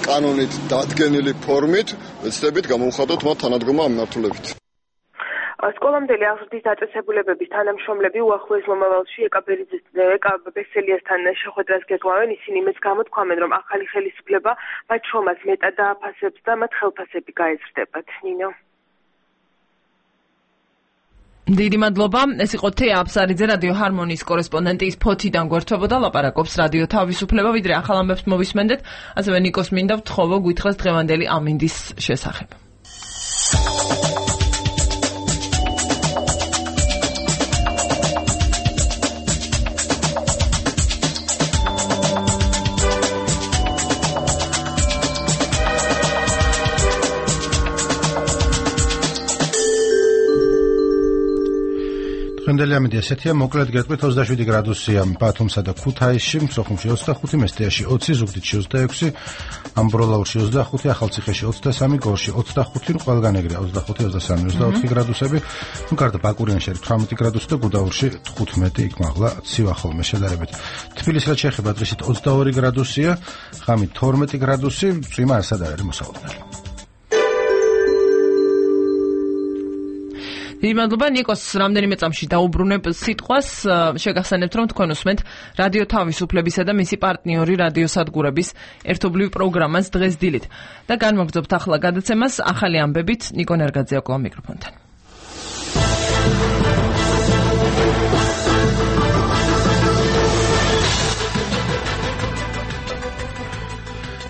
კანონით დადგენილი ფორმით ვეცდებით გამოვხატოთ მათ თანადგომა ამ მიმართულებით. სკოლამდელი აღზრდის დაწესებულებების თანამშრომლები უახლოეს მომავალში ეკაბესელიასთან შეხვედრას გეგმავენ. ისინი იმას გამოთქვამენ, რომ ახალი ხელისუფლება მათ შრომას მეტად დააფასებს და მათ ხელფასები გაეზრდებათ. ნინო. დიდი მადლობა. ეს იყო თეა აფსარიძე, რადიო ჰარმონიის კორესპონდენტი, ის ფოთიდან გვერდებოდა, ლაპარაკობს რადიო თავისუფლება. ვიდრე ახალ ამბებს მოვისმენდეთ, ასევე ნიკოს მინდა ვთხოვო გვითხრას დღევანდელი ამინდის შესახებ. დღევანდელი ამინდი ესეთია, მოკლედ გეტყვით 27 გრადუსია ბათუმსა და ქუთაისში, სოხუმში 25, მესტიაში 20, ზუგდიდში 26, ამბროლაურში 25, ახალციხეში 23, გორში 25, ყველგან ეგრე 25, 23, 24 გრადუსები, გარდა ბაკურიანში 18 გრადუსი და გუდაურში 15, იქ მაღლა ცივა ხოლმე შედარებით. თბილისს რაც შეეხება დღისით 22 გრადუსია, ღამით 12 გრადუსი, წვიმა არასად არ არის მოსალოდნელი. იმადლობა ნიკოს რამდენიმე წამში დაუბრუნებ სიტყვას შეგახსენებთ რომ თქვენ უსმენთ რადიო თავისუფლებისა და მისი პარტნიორი რადიოსადგურების ერთობლივ პროგრამას დღეს დილით და განმოგრძობთ ახლა გადაცემას ახალი ამბებით ნიკო ნერგაძე აკლა მიკროფონთან.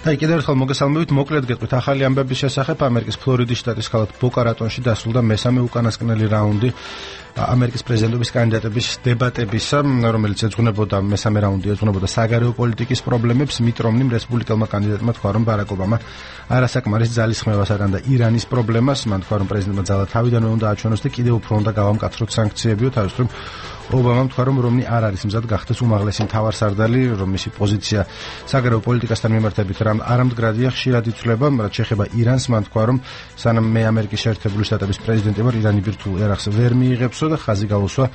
და კიდევ ერთხელ მოგესალმებით, მოკლედ გეტყვით ახალი ამბების შესახებ. ამერიკის ფლორიდის შტატის ქალაქ ბოკა-რატონში დასრულდა მესამე უკანასკნელი რაუნდი ამერიკის პრეზიდენტობის კანდიდატების დებატებისა, რომელიც ეძღვნებოდა მესამე რაუნდი ეძღვნებოდა საგარეო პოლიტიკის პრობლემებს. მიტ რომნიმ რესპუბლიკელმა კანდიდატმა თქვა, რომ ბარაკ ობამა არასაკმარის ძალისხმევასთან და ირანის პრობლემას, მან თქვა, რომ პრეზიდენტმა ძალა თავიდანვე უნდა აჩვენოს და კიდევ უფრო უნდა გავამკაცროთ სანქციებიო. თავისთავად ობამამ თქვა, რომ რომნი არ არის მზად გახდეს უმაღლესი მთავარსარდალი, რომ მისი პოზიცია საგარეო პოლიტიკასთან მიმართებით არამდგრადია, ხშირად იცვლება, რაც შეეხება ირანს, მან თქვა, რომ სანამ მე ამერიკის შეერთებული შტატების პრეზიდენტი ვარ, ირანი ბირთვულ ერახს ვერ მიიღებსო და ხაზი გაუსვა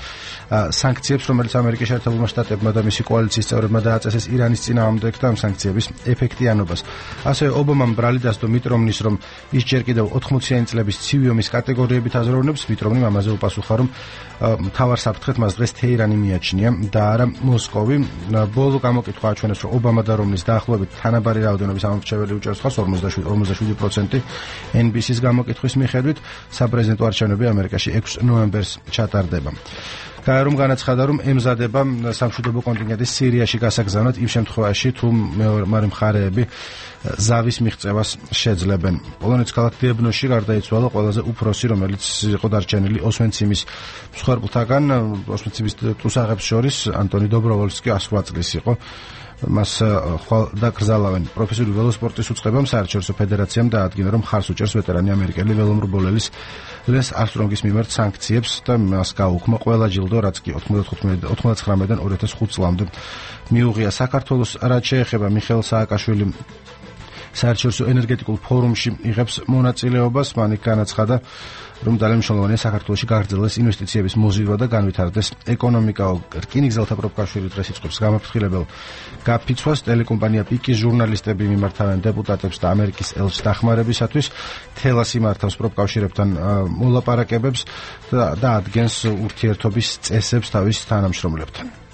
სანქციებს, რომელიც ამერიკის შეერთებულმა შტატებმა და მისი კოალიციის წევრებმა დააწესეს ირანის წინააღმდეგ და ამ სანქციების ეფექტიანობას. ასევე ობამამ ბრალი დასდო მიტ რომნის, რომ ის ჯერ კიდევ 80-იანი წლების ცივი ომის კატეგორიებით აზროვნებს. მიტ რომნიმ ამაზე უპასუხა, რომ მთავარ საფრთხეთ მას დღეს თეირანი მიაჩნია და არა მოსკოვი. ბოლო გამოკითხვა აჩვენებს, რომ ობამა და რომნის დაახლოებით თანაბარი რაოდენობის ამორჩეველი უჭერს ხას 47%. NBC-ს გამოკითხვის მიხედვით საპრეზიდენტო არჩევნები ამერიკაში 6 ნოემბერს ჩატარდება. გაერომ განაცხადა, რომ ემზადება სამშვიდობო კონტინგენტის სირიაში გასაგზავნად იმ შემთხვევაში, თუ მეორე მხარეები ზავის მიღწევას შეძლებენ. პოლონეთის ქალაქ დებნოში გარდაიცვალა ყველაზე უფროსი, რომელიც იყო დარჩენილი ოსვენციმის მსხვერპლთაგან. ოსვენციმის ტუსაღებს შორის ანტონი დობროვოლსკი 108 წლის იყო. მას დაკრძალავენ. პროფესიული ველოსპორტის უწყებამ საერთაშორისო ფედერაციამ დაადგინა, რომ ხარს უჭერს ვეტერანი ამერიკელი ველომრბოლელის ლენს არსტრონგის მიმართ სანქციებს და მას გაუქმო ყველა ჯილდო, რაც კი 99-დან 2005 წლამდე მიუღია. საქართველოს რაც შეეხება მიხეილ სააკაშვილი საერთაშორისო ენერგეტიკულ ფორუმში იღებს მონაწილეობას. მან განაცხადა, რომ ძალიან მნიშვნელოვანია საქართველოში გაგრძელდეს ინვესტიციების მოზიდვა და განვითარდეს ეკონომიკა. რკინიგზელთა პროფკავშირი დღეს იწყებს გამაფრთხილებელ გაფიცვას. ტელეკომპანია პიკის ჟურნალისტები მიმართავენ დეპუტატებს და ამერიკის ელჩს დახმარებისათვის. თელას იმართავს პროფკავშირებთან მოლაპარაკებებს და ადგენს ურთიერთობის წესებს თავის თანამშრომლებთან.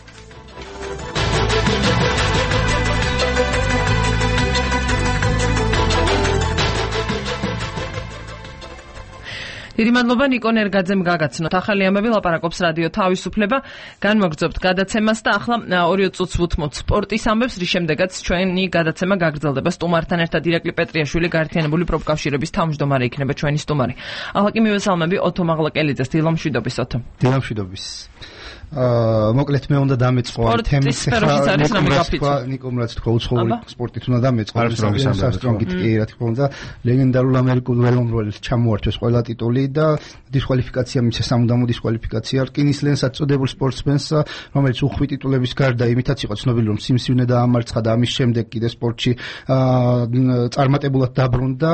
დიდი მადლობა ნიკო ნერგაძემ გაგაცნოთ. ახალი ამბები ლაპარაკობს რადიო თავისუფლება. განმოგრძობთ გადაცემას და ახლა 2 წუთს ვუთმოთ სპორტის ამბებს, რის შემდეგაც ჩვენი გადაცემა გაგრძელდება. სტუმართან ერთად ირაკლი პეტრიაშვილი, გაერთიანებული პროფკავშირების თავმჯდომარე იქნება ჩვენი სტუმარი. ახლა კი მივესალმები ოთო მაღლაკელიძეს. დილამშვიდობის ოთო. დილამშვიდობის. მოკლედ მე უნდა დამეწყო თემის ნიკომ რაც თქვა უცხოური სპორტით უნდა დამეწყო არმსტრონგით კი რა თქმა უნდა ლეგენდარულ ამერიკულ ველომრბოლელს ჩამოართვეს ყველა ტიტული და დისკვალიფიკაცია მისცა სამუდამო დისკვალიფიკაცია რკინის ლენსაც წოდებულ სპორტსმენს რომელიც უხვი ტიტულების გარდა იმითაც იყო ცნობილი რომ სიმსივნე დაამარცხა და ამის შემდეგ კიდე სპორტში წარმატებულად დაბრუნდა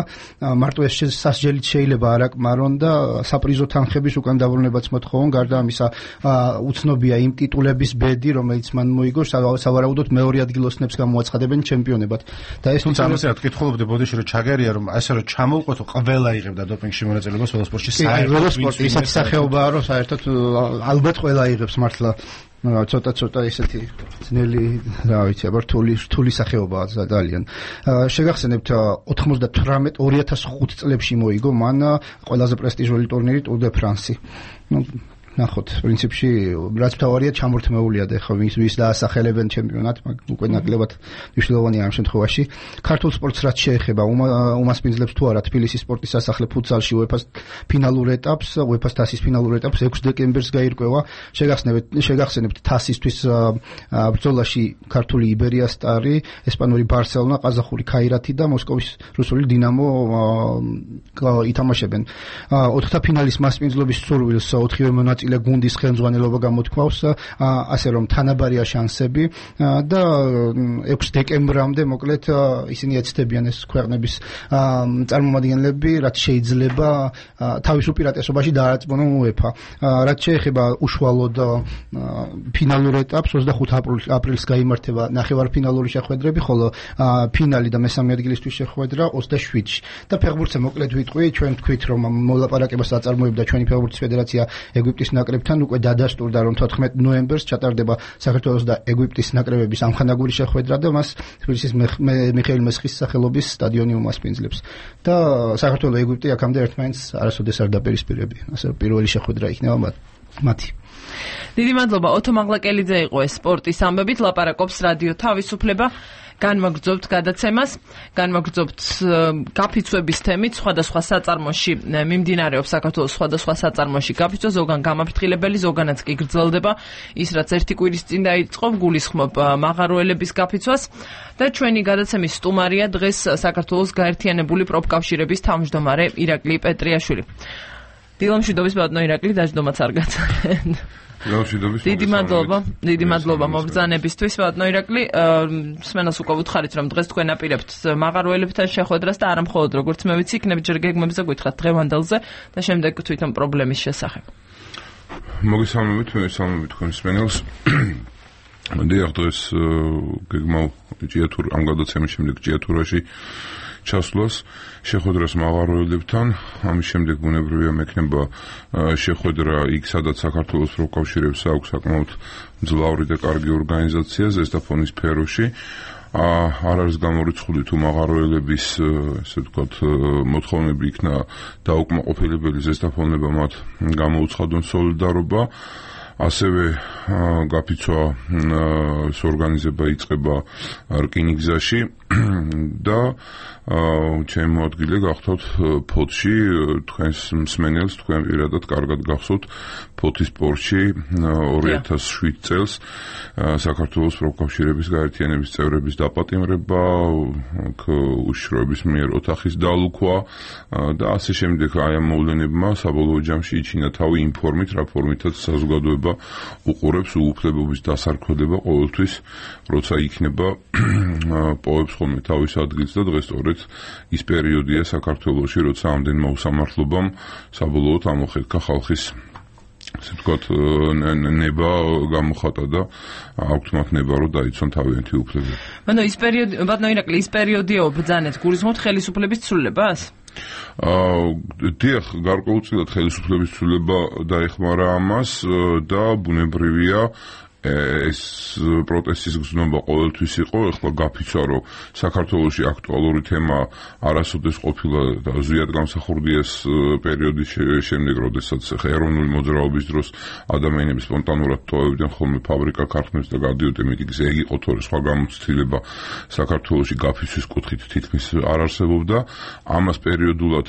მარტო ეს სასჯელით შეიძლება არ აკმარონ და საპრიზო თანხების უკან დაბრუნებაც მოთხოვონ გარდა ამისა ცნობია იმ ტიტულების ბედი, რომელიც მან მოიგო, სავარაუდოდ მეორე ადგილოსნებს გამოაცხადებენ ჩემპიონებად. და ეს თუმცა ამაზე რა თქვითხულობდი ბოდიში რომ ჩაგერია რომ ასე რომ ჩამოვყოთო ყველა იღებდა დოპინგში მონაწილეობას ველოსპორტში საერთოდ ველოსპორტი ისეთი სახეობაა რომ საერთოდ ალბათ ყველა იღებს მართლა ცოტა ესეთი ძნელი რა ვიცი აბა რთული სახეობაა ძალიან. შეგახსენებთ 2005 წლებში მოიგო მან ყველაზე პრესტიჟული ტურნირი Tour de France. ნახოთ, პრინციპში რაც მთავარია ჩამორთმეულია და ხო ვის დაასახელებენ ჩემპიონატ, უკვე ნაკლებად მნიშვნელოვანია ამ შემთხვევაში. ქართულ სპორტს რაც შეეხება, უმასპინძლებს თუ არა თბილისის სპორტის სასახლე ფუტსალში UEFA-ს ფინალურ ეტაპს, UEFA-ს თასის ფინალურ ეტაპს 6 დეკემბერს გაირკვევა. შეგახსენებთ თასისთვის ბრძოლაში ქართული იბერია სტარი, ესპანური ბარსელონა, ყაზახური ქაირათი და მოსკოვის რუსული დინამო ითამაშებენ. ოთხთა ფინალის მასპინძლობის სურვილს 4-ვე მონაწილე მონაწილე გუნდის ხელმძღვანელობა გამოთქვავს, ასე რომ თანაბარია შანსები და 6 დეკემბრამდე მოკლედ ისინი ეცდებიან ეს ქვეყნების წარმომადგენლები, რაც შეიძლება თავის უპირატესობაში დაარწმუნონ UEFA. რაც შეეხება უშუალოდ ფინალურ ეტაპს 25 აპრილს გაიმართება ნახევარფინალური შეხვედრები, ხოლო ფინალი და მესამე ადგილისთვის შეხვედრა 27-ში. და ფეხბურთზე მოკლედ ვიტყვი, ჩვენ თქვით რომ მოლაპარაკებას აწარმოებდა ჩვენი ფეხბურთის ფედერაცია ეგვიპტის ნაკრებთან, უკვე დადასტურდა რომ 14 ნოემბერს ჩატარდება საქართველოს და ეგვიპტის ნაკრებების ამხანაგური შეხვედრა და მას თბილისის მიხეილ მესხის სახელობის სტადიონი უმასპინძლებს. და საქართველოს ეგვიპტე აქამდე ერთმანეთს არასოდეს არ დაპირისპირებია. ასე რომ პირველი შეხვედრა იქნება მათი. დიდი მადლობა ოთო მაღლაკელიძე იყო ეს სპორტის ამბებით ლაპარაკობს რადიო თავისუფლება. განვაგრძობთ გადაცემას, განვაგრძობთ გაფიცვების თემით, სხვადასხვა საწარმოში მიმდინარეობს საქართველოს სხვადასხვა საწარმოში გაფიცვა, ზოგან გამაფრთხილებელი, ზოგანაც კი გრძელდება ის, რაც ერთი კვირის წინ დაიწყო, გულისხმობ მაღაროელების გაფიცვას და ჩვენი გადაცემის სტუმარია დღეს საქართველოს გაერთიანებული პროფკავშირების თავმჯდომარე ირაკლი პეტრიაშვილი. დილამშვიდობის ბატონო ირაკლი, დაждდომაც არ გაცანეთ. დიდი მადლობა მობრძანებისთვის ბატონო ირაკლი. მსმენელს უკვე ვუთხარით რომ დღეს თქვენ აპირებთ მაღაროელებთან შეხვედრას და არა მხოლოდ როგორც მე ვიცი, იქნებ ჯერ გეგმებზე გითხრათ დღევანდელზე და შემდეგ თვითონ პრობლემის შესახებ. მოგესალმებით თქვენ მსმენელს. დიახ, დღეს გეგმავ ამ გადაცემის შემდეგ ჭიათურაში ჩასვლას შეხვედრას მაღაროელებთან. ამის შემდეგ ბუნებრივია მექნება შეხვედრა იქ, სადაც საქართველოს პროფკავშირებს აქვს საკმაოდ მძლავრი და კარგი ორგანიზაცია ზესტაფონის სფეროში. არ არის გამორიცხული თუ მაღაროელების ესე ვთქვათ მოთხოვნები იქნა დაუკმაყოფილებელი ზესტაფონება მათ გამოუცხადონ სოლიდარობა. ასევე გაფიცვა ორგანიზება იწყება რკინიგზაში და ჩემი მოადგილე გახდოთ ფოთში, თქვენს მსმენელს თქვენ პირადად კარგად გახსოვთ ფოთის სპორტში 2007 წელს საქართველოს პროფკავშირების გაერთიანების წევრების დაპატიმრება, უშიშროების მიერ ოთახის დალუქვა და ასე შემდეგ. აი ამ მოვლენებმა საბოლოო ჯამში იჩინა თავი იმ ფორმით, რა ფორმითაც საზოგადოება უყურებს უუფლებობის დასარქმედება ყოველთვის, როცა იქნება პოვებს ხოლმე თავის ადგილს და დღეს სწორედ ის პერიოდია საქართველოში, როცა ამდენმა უსამართლობამ საბოლოოდ ამოხეთქა ხალხის ასე ვთქვათ ნება გამოხატა და აქვთ მათ ნება რომ დაიცვან თავიანთი უფლებები. ბატონო ირაკლი, ის პერიოდია ბრძანეთ გულისხმობთ ხელისუფლების ცვლილებას? დიახ, გარკვეულწილად ხელისუფლების ცვლილება დაეხმარა ამას და ბუნებრივია ეს პროტესტის გზნობა ყოველთვის იყო. ეხლა გაფიცვა რომ საქართველოში აქტუალური თემა არასოდეს ყოფილა და ზუსტად გამსახურდია ეს პერიოდის შემდეგ, როდესაც ეროვნული მოძრაობის დროს ადამიანები სპონტანურად ტოვებდნენ ხოლმე ფაბრიკა ქარხნებს და გადიოდნენ მიტინგზე. ეგ იყო თორე სხვა გამოცდილება საქართველოში გაფიცვის კუთხით თითქმის არ არსებობდა. ამას პერიოდულად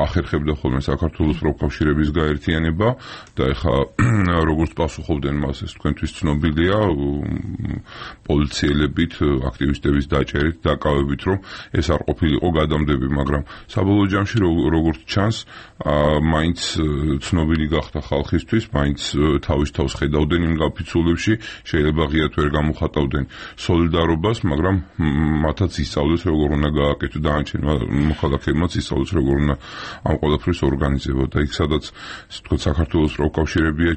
ახერხებდა ხოლმე საქართველოს პროფკავშირების გაერთიანება და ეხლა როგორც პასუხობდნენ მას ეს თქვენთვის ცნობილია პოლიციელებით, აქტივისტების დაჭერით, დაკავებით, რომ ეს არ ყოფილიყო გადამდები, მაგრამ საბოლოო ჯამში როგორც ჩანს, მაინც ცნობილი გახდა ხალხისთვის, მაინც თავის თავს ხედავდნენ იმ გაფიცულებში, შეიძლება ღიად ვერ გამოხატავდნენ სოლიდარობას, მაგრამ მათაც ისწავლეს როგორ უნდა გააკეთო და დანარჩენ მოხალხეებმაც ისწავლეს როგორ უნდა ამ ყველაფრის ორგანიზება და იქ სადაც თქო საქართველოს პროფკავშირებია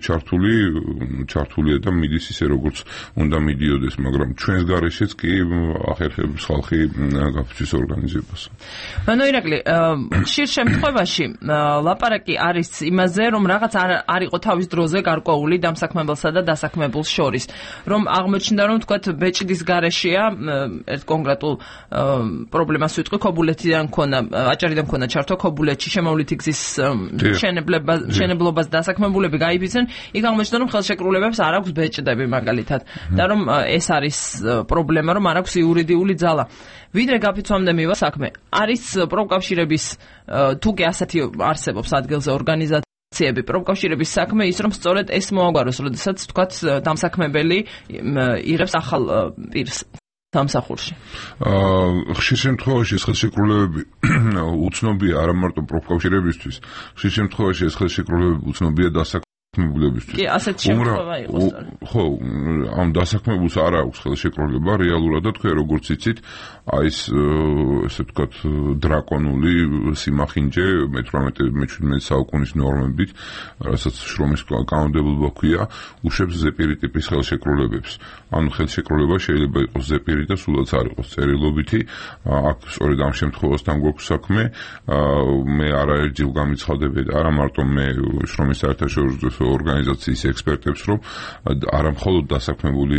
ჩართულია და მიდის ისე როგორც უნდა მიდიოდეს, მაგრამ ჩვენს გარეშეც კი ახერხებს ხალხი გაფიცვის ორგანიზებას. ბატონო ირაკლი, ხშირ შემთხვევაში ლაპარაკი არის იმაზე, რომ რაღაც არ იყო თავის დროზე გარკვეული დამსაქმებელსა და დასაქმებულს შორის, რომ აღმოჩნდა, რომ თქვათ ბეჭდის გარეშეა ერთ კონკრეტულ პრობლემას ვიტყვი, ქობულეთიდან მქონა, აჭარიდან მქონა ჩართვა ქობულეთში შემოვლითი გზის მშენებლობას დასაქმებულები გაიფიცნენ, იქ აღმოჩნდა, რომ ხელშეკრულებებს არ აქვს ბეჭდები მაგალითად და რომ ეს არის პრობლემა, რომ არ აქვს იურიდიული ძალა. ვიდრე გაფიცვამდე მივა საქმე, არის პროფკავშირების თუ კი ასეთი არსებობს ადგილზე ორგანიზაციები, პროფკავშირების საქმე ის, რომ სწორედ ეს მოაგვაროს, როდესაც თქვათ დამსაქმებელი იღებს ახალ პირს სამსახურში. ხშირ შემთხვევაში ეს ხელშეკრულებები უცნობია არა მარტო პროფკავშირებისთვის, ხშირ შემთხვევაში ეს ხელშეკრულებები უცნობია მებულებისთვის. კი, ასეთ შემთხვევა იყოს. ხო, ამ დასაქმებულს არ აქვს ხელშეკრულება რეალურად და თქვენ როგორც იცით, აი ეს ესე ვთქვათ დრაკონული სიმახინჯე მე-18 საუკუნის ნორმებით, რასაც შრომის კანონმდებლობა ქვია, უშვებს ზეპირი ტიპის ხელშეკრულებებს. ანუ ხელშეკრულება შეიძლება იყოს ზეპირი და სულაც არ იყოს წერილობითი. აქ სწორედ ამ შემთხვევასთან გვაქვს საქმე. მე არაერთჯერ გამიცხადები და არა მარტო მე შრომის საერთაშორისო ორგანიზაციის ექსპერტებს, რომ არა მხოლოდ დასაქმებული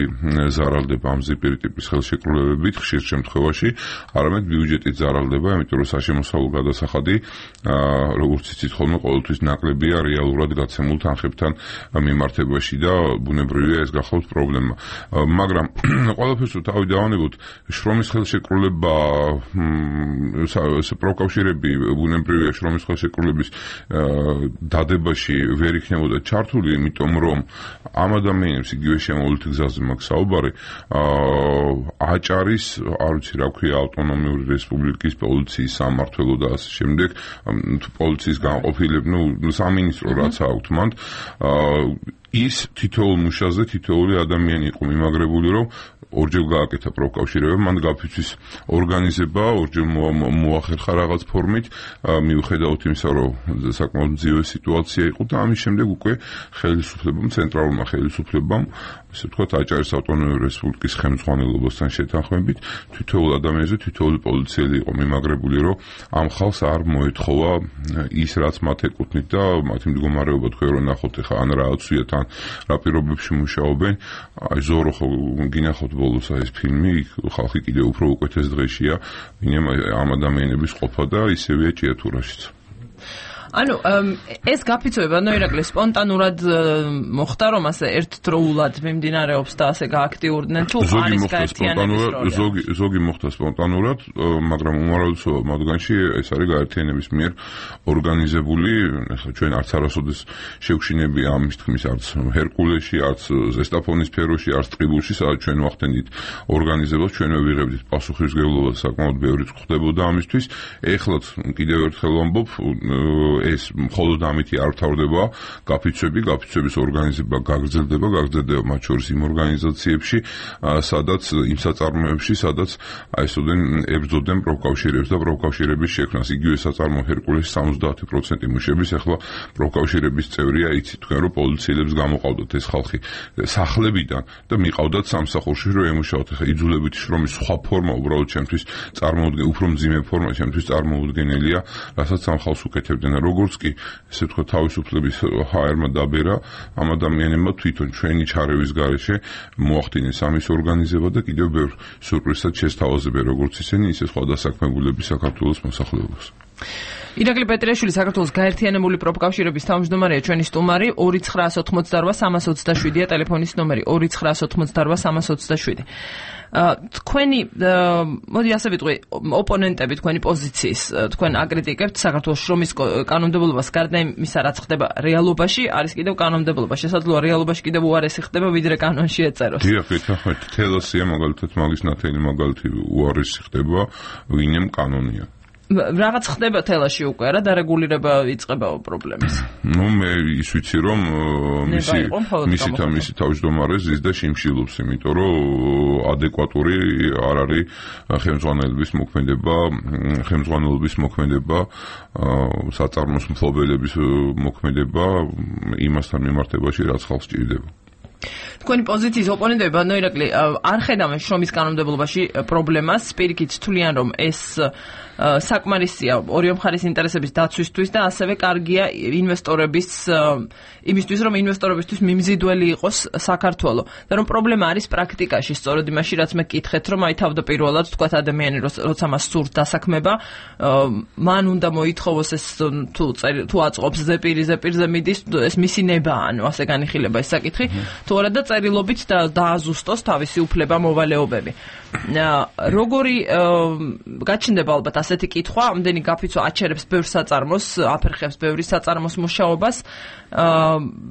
ზარალდება ამ ზეპირი ტიპის ხელშეკრულებებით ხშირ შემთხვევაში, არამედ ბიუჯეტით ზარალდება, იმიტომ რომ საშემოსავლო გადასახადი, როგორც იცით, ხოლმე ყოველთვის ნაკლებია რეალურად გაცემულ თანხებთან მიმართებაში და ბუნებრივია ეს გახლავთ პრობლემა. მაგრამ ყველაფერს თავი დავანებოთ, შრომის ხელშეკრულება, პროკავშირები ბუნებრივია შრომის ხელშეკრულების დადებაში ვერ იქნებოდა ჩართული, იმიტომ რომ ამ ადამიანებს იგივე შემოვლით გზაზე მაქვს საუბარი, აჭარის, არ ვიცი რა ქვია, ავტონომიური რესპუბლიკის პოლიციის სამმართველო და ასე შემდეგ, პოლიციის განყოფილება, სამინისტრო რაც აქვთ მან, ის თითოეულ მუშაზე თითოეული ადამიანი იყო მიმაგრებული, რომ ორჯერ გააკეთა პროკავშირება, მან გაფიცვის ორგანიზება, ორჯერ მოახერხა რაღაც ფორმით, მიუხედავად იმისა, რომ საკმაოდ მძიმე სიტუაცია იყო და ამის შემდეგ უკვე ხელისუფლებამ, ცენტრალურმა ხელისუფლებამ, ესე ვთქვათ, აჭარის ავტონომიური რესპუბლიკის ხელმძღვანელობასთან შეთანხმებით, თითოეულ ადამიანზე თითოეული პოლიციელი იყო მიმაგრებული, რომ ამ ხალხს არ მოეთხოვა ის, რაც მათ ეკუთვნით და მათი მდგომარეობა თქვენ რომ ნახოთ ახლა ან რა აცვიათ, ან რა პირობებში მუშაობენ, აი ზორო ხო გინახოთ ბოლოს ეს ფილმი, ხალხი კიდევ უფრო უკეთეს დღეშია, ვინმე ამ ადამიანების ყოფა და ისევეა ჭიათურაშიც. ანუ ეს გაფიცვება ნოირაკლი სპონტანურად მოხდა, რომ ასე ერთდროულად მიმდინარეობს და ასე გააქტიურდნენ თუ არის გაერთიანების როლი? ზოგი მოხდა სპონტანურად, მაგრამ უმრავლესობა მათგანში ეს არის გაერთიანების მიერ ორგანიზებული. ახლა ჩვენ არც არასოდეს შევშინები ამის თქმის, არც ჰერკულესში, არც ზესტაფონის სფეროში, არც ტყიბულში, სადაც ჩვენ ვახდენით ორგანიზებას, ჩვენ ვიღებდით პასუხისმგებლობას, საკმაოდ ბევრი ხდებოდა ამისთვის. ეხლაც კიდევ ერთხელ ვამბობ, ეს მხოლოდ ამითი არ თავდება, გაფიცვების ორგანიზება გაგრძელდება მათ შორის იმ ორგანიზაციებში, სადაც იმ საწარმოებში, სადაც აი ესოდენ ებრძოდნენ პროკავშირებს და პროკავშირების შექმნას. იგივე საწარმო ჰერკულესში 70% მუშების ახლა პროკავშირების წევრია, იცით თქვენ რომ პოლიციელებს გამოყავდათ ეს ხალხი სახლებიდან და მიყავდათ სამსახურში რომ ემუშაოთ. ახლა იძულებითი შრომის სხვა ფორმა უბრალოდ ჩემთვის უფრო მძიმე ფორმა ჩემთვის წარმოუდგენელია, რასაც ამ ხალხს უკეთებდნენ. როგორც კი ესე ვთქვათ თავისუფლების ჰაერმა დაბერა, ამ ადამიანებმა თვითონ ჩვენი ჩარევის გარეშე მოახდინეს ამის ორგანიზება და კიდევ ბევრ სურპრიზად შესთავაზებენ როგორც ისინი, ისე სხვა დასაქმებულები საქართველოს მოსახლეობას. ირაკლი პეტრიაშვილი, საქართველოს გაერთიანებული პროფკავშირების თავმჯდომარეა ჩვენი სტუმარი. 2988327-ია ტელეფონის ნომერი, 2988327. თქვენი მოდი ასე ვიტყვი, ოპონენტები თქვენი პოზიციის, თქვენ აკრიტიკებთ საქართველოს შრომის კანონმდებლობას, გარდა იმისა, რაც ხდება რეალობაში, არის კიდევ კანონმდებლობა. შესაძლოა რეალობაში კიდევ უარესი ხდება, ვიდრე კანონში ეწეროს. დიახ, ეთახმეთ, თელასია მაგალითად მაგის ნათელი მაგალითი უარესი ხდება, ვინემ კანონია. რაღაც ხდება თელაში უკვე რა დარეგულირება იწყება პრობლემის. მე ის ვიცი რომ მისი თავმჯდომარე ზის და შიმშილობს, იმიტომ რომ ადეკვატური არ არის ხელმძღვანელობის მოქმედება, საწარმოს მფლობელების მოქმედება იმასთან მიმართებაში, რაც ხალხს ჭირდება. თქვენი პოზიციის ოპონენტები ნოირაკლი არ ხედავენ შრომის კანონმდებლობაში პრობლემას, პირიქით თვლიან რომ ეს საკმარისია ორივე მხარის ინტერესების დაცვისთვის და ასევე კარგია იმისთვის რომ ინვესტორებისთვის მიმზიდველი იყოს საქართველო და რომ პრობლემა არის პრაქტიკაში, სწორედ იმაში რაც მე გკითხეთ, რომ აი თავდაპირველად თქვათ ადამიანი როცა მას სურთ დასაქმება, მან უნდა მოითხოვოს ეს თუ აწყობს ზეპირზე მიდის, ეს მისი ნება, ანუ ასე განიხილება ეს საკითხი. თუ არა და დაწერილობით დააზუსტოს თავისი უფლება მოვალეობები. როგორი გაჩნდება ალბათ ასეთი კითხვა, ამდენი გაფიცვა აჩერებს ბევრ საწარმოს, აფერხებს ბევრი საწარმოს მუშაობას.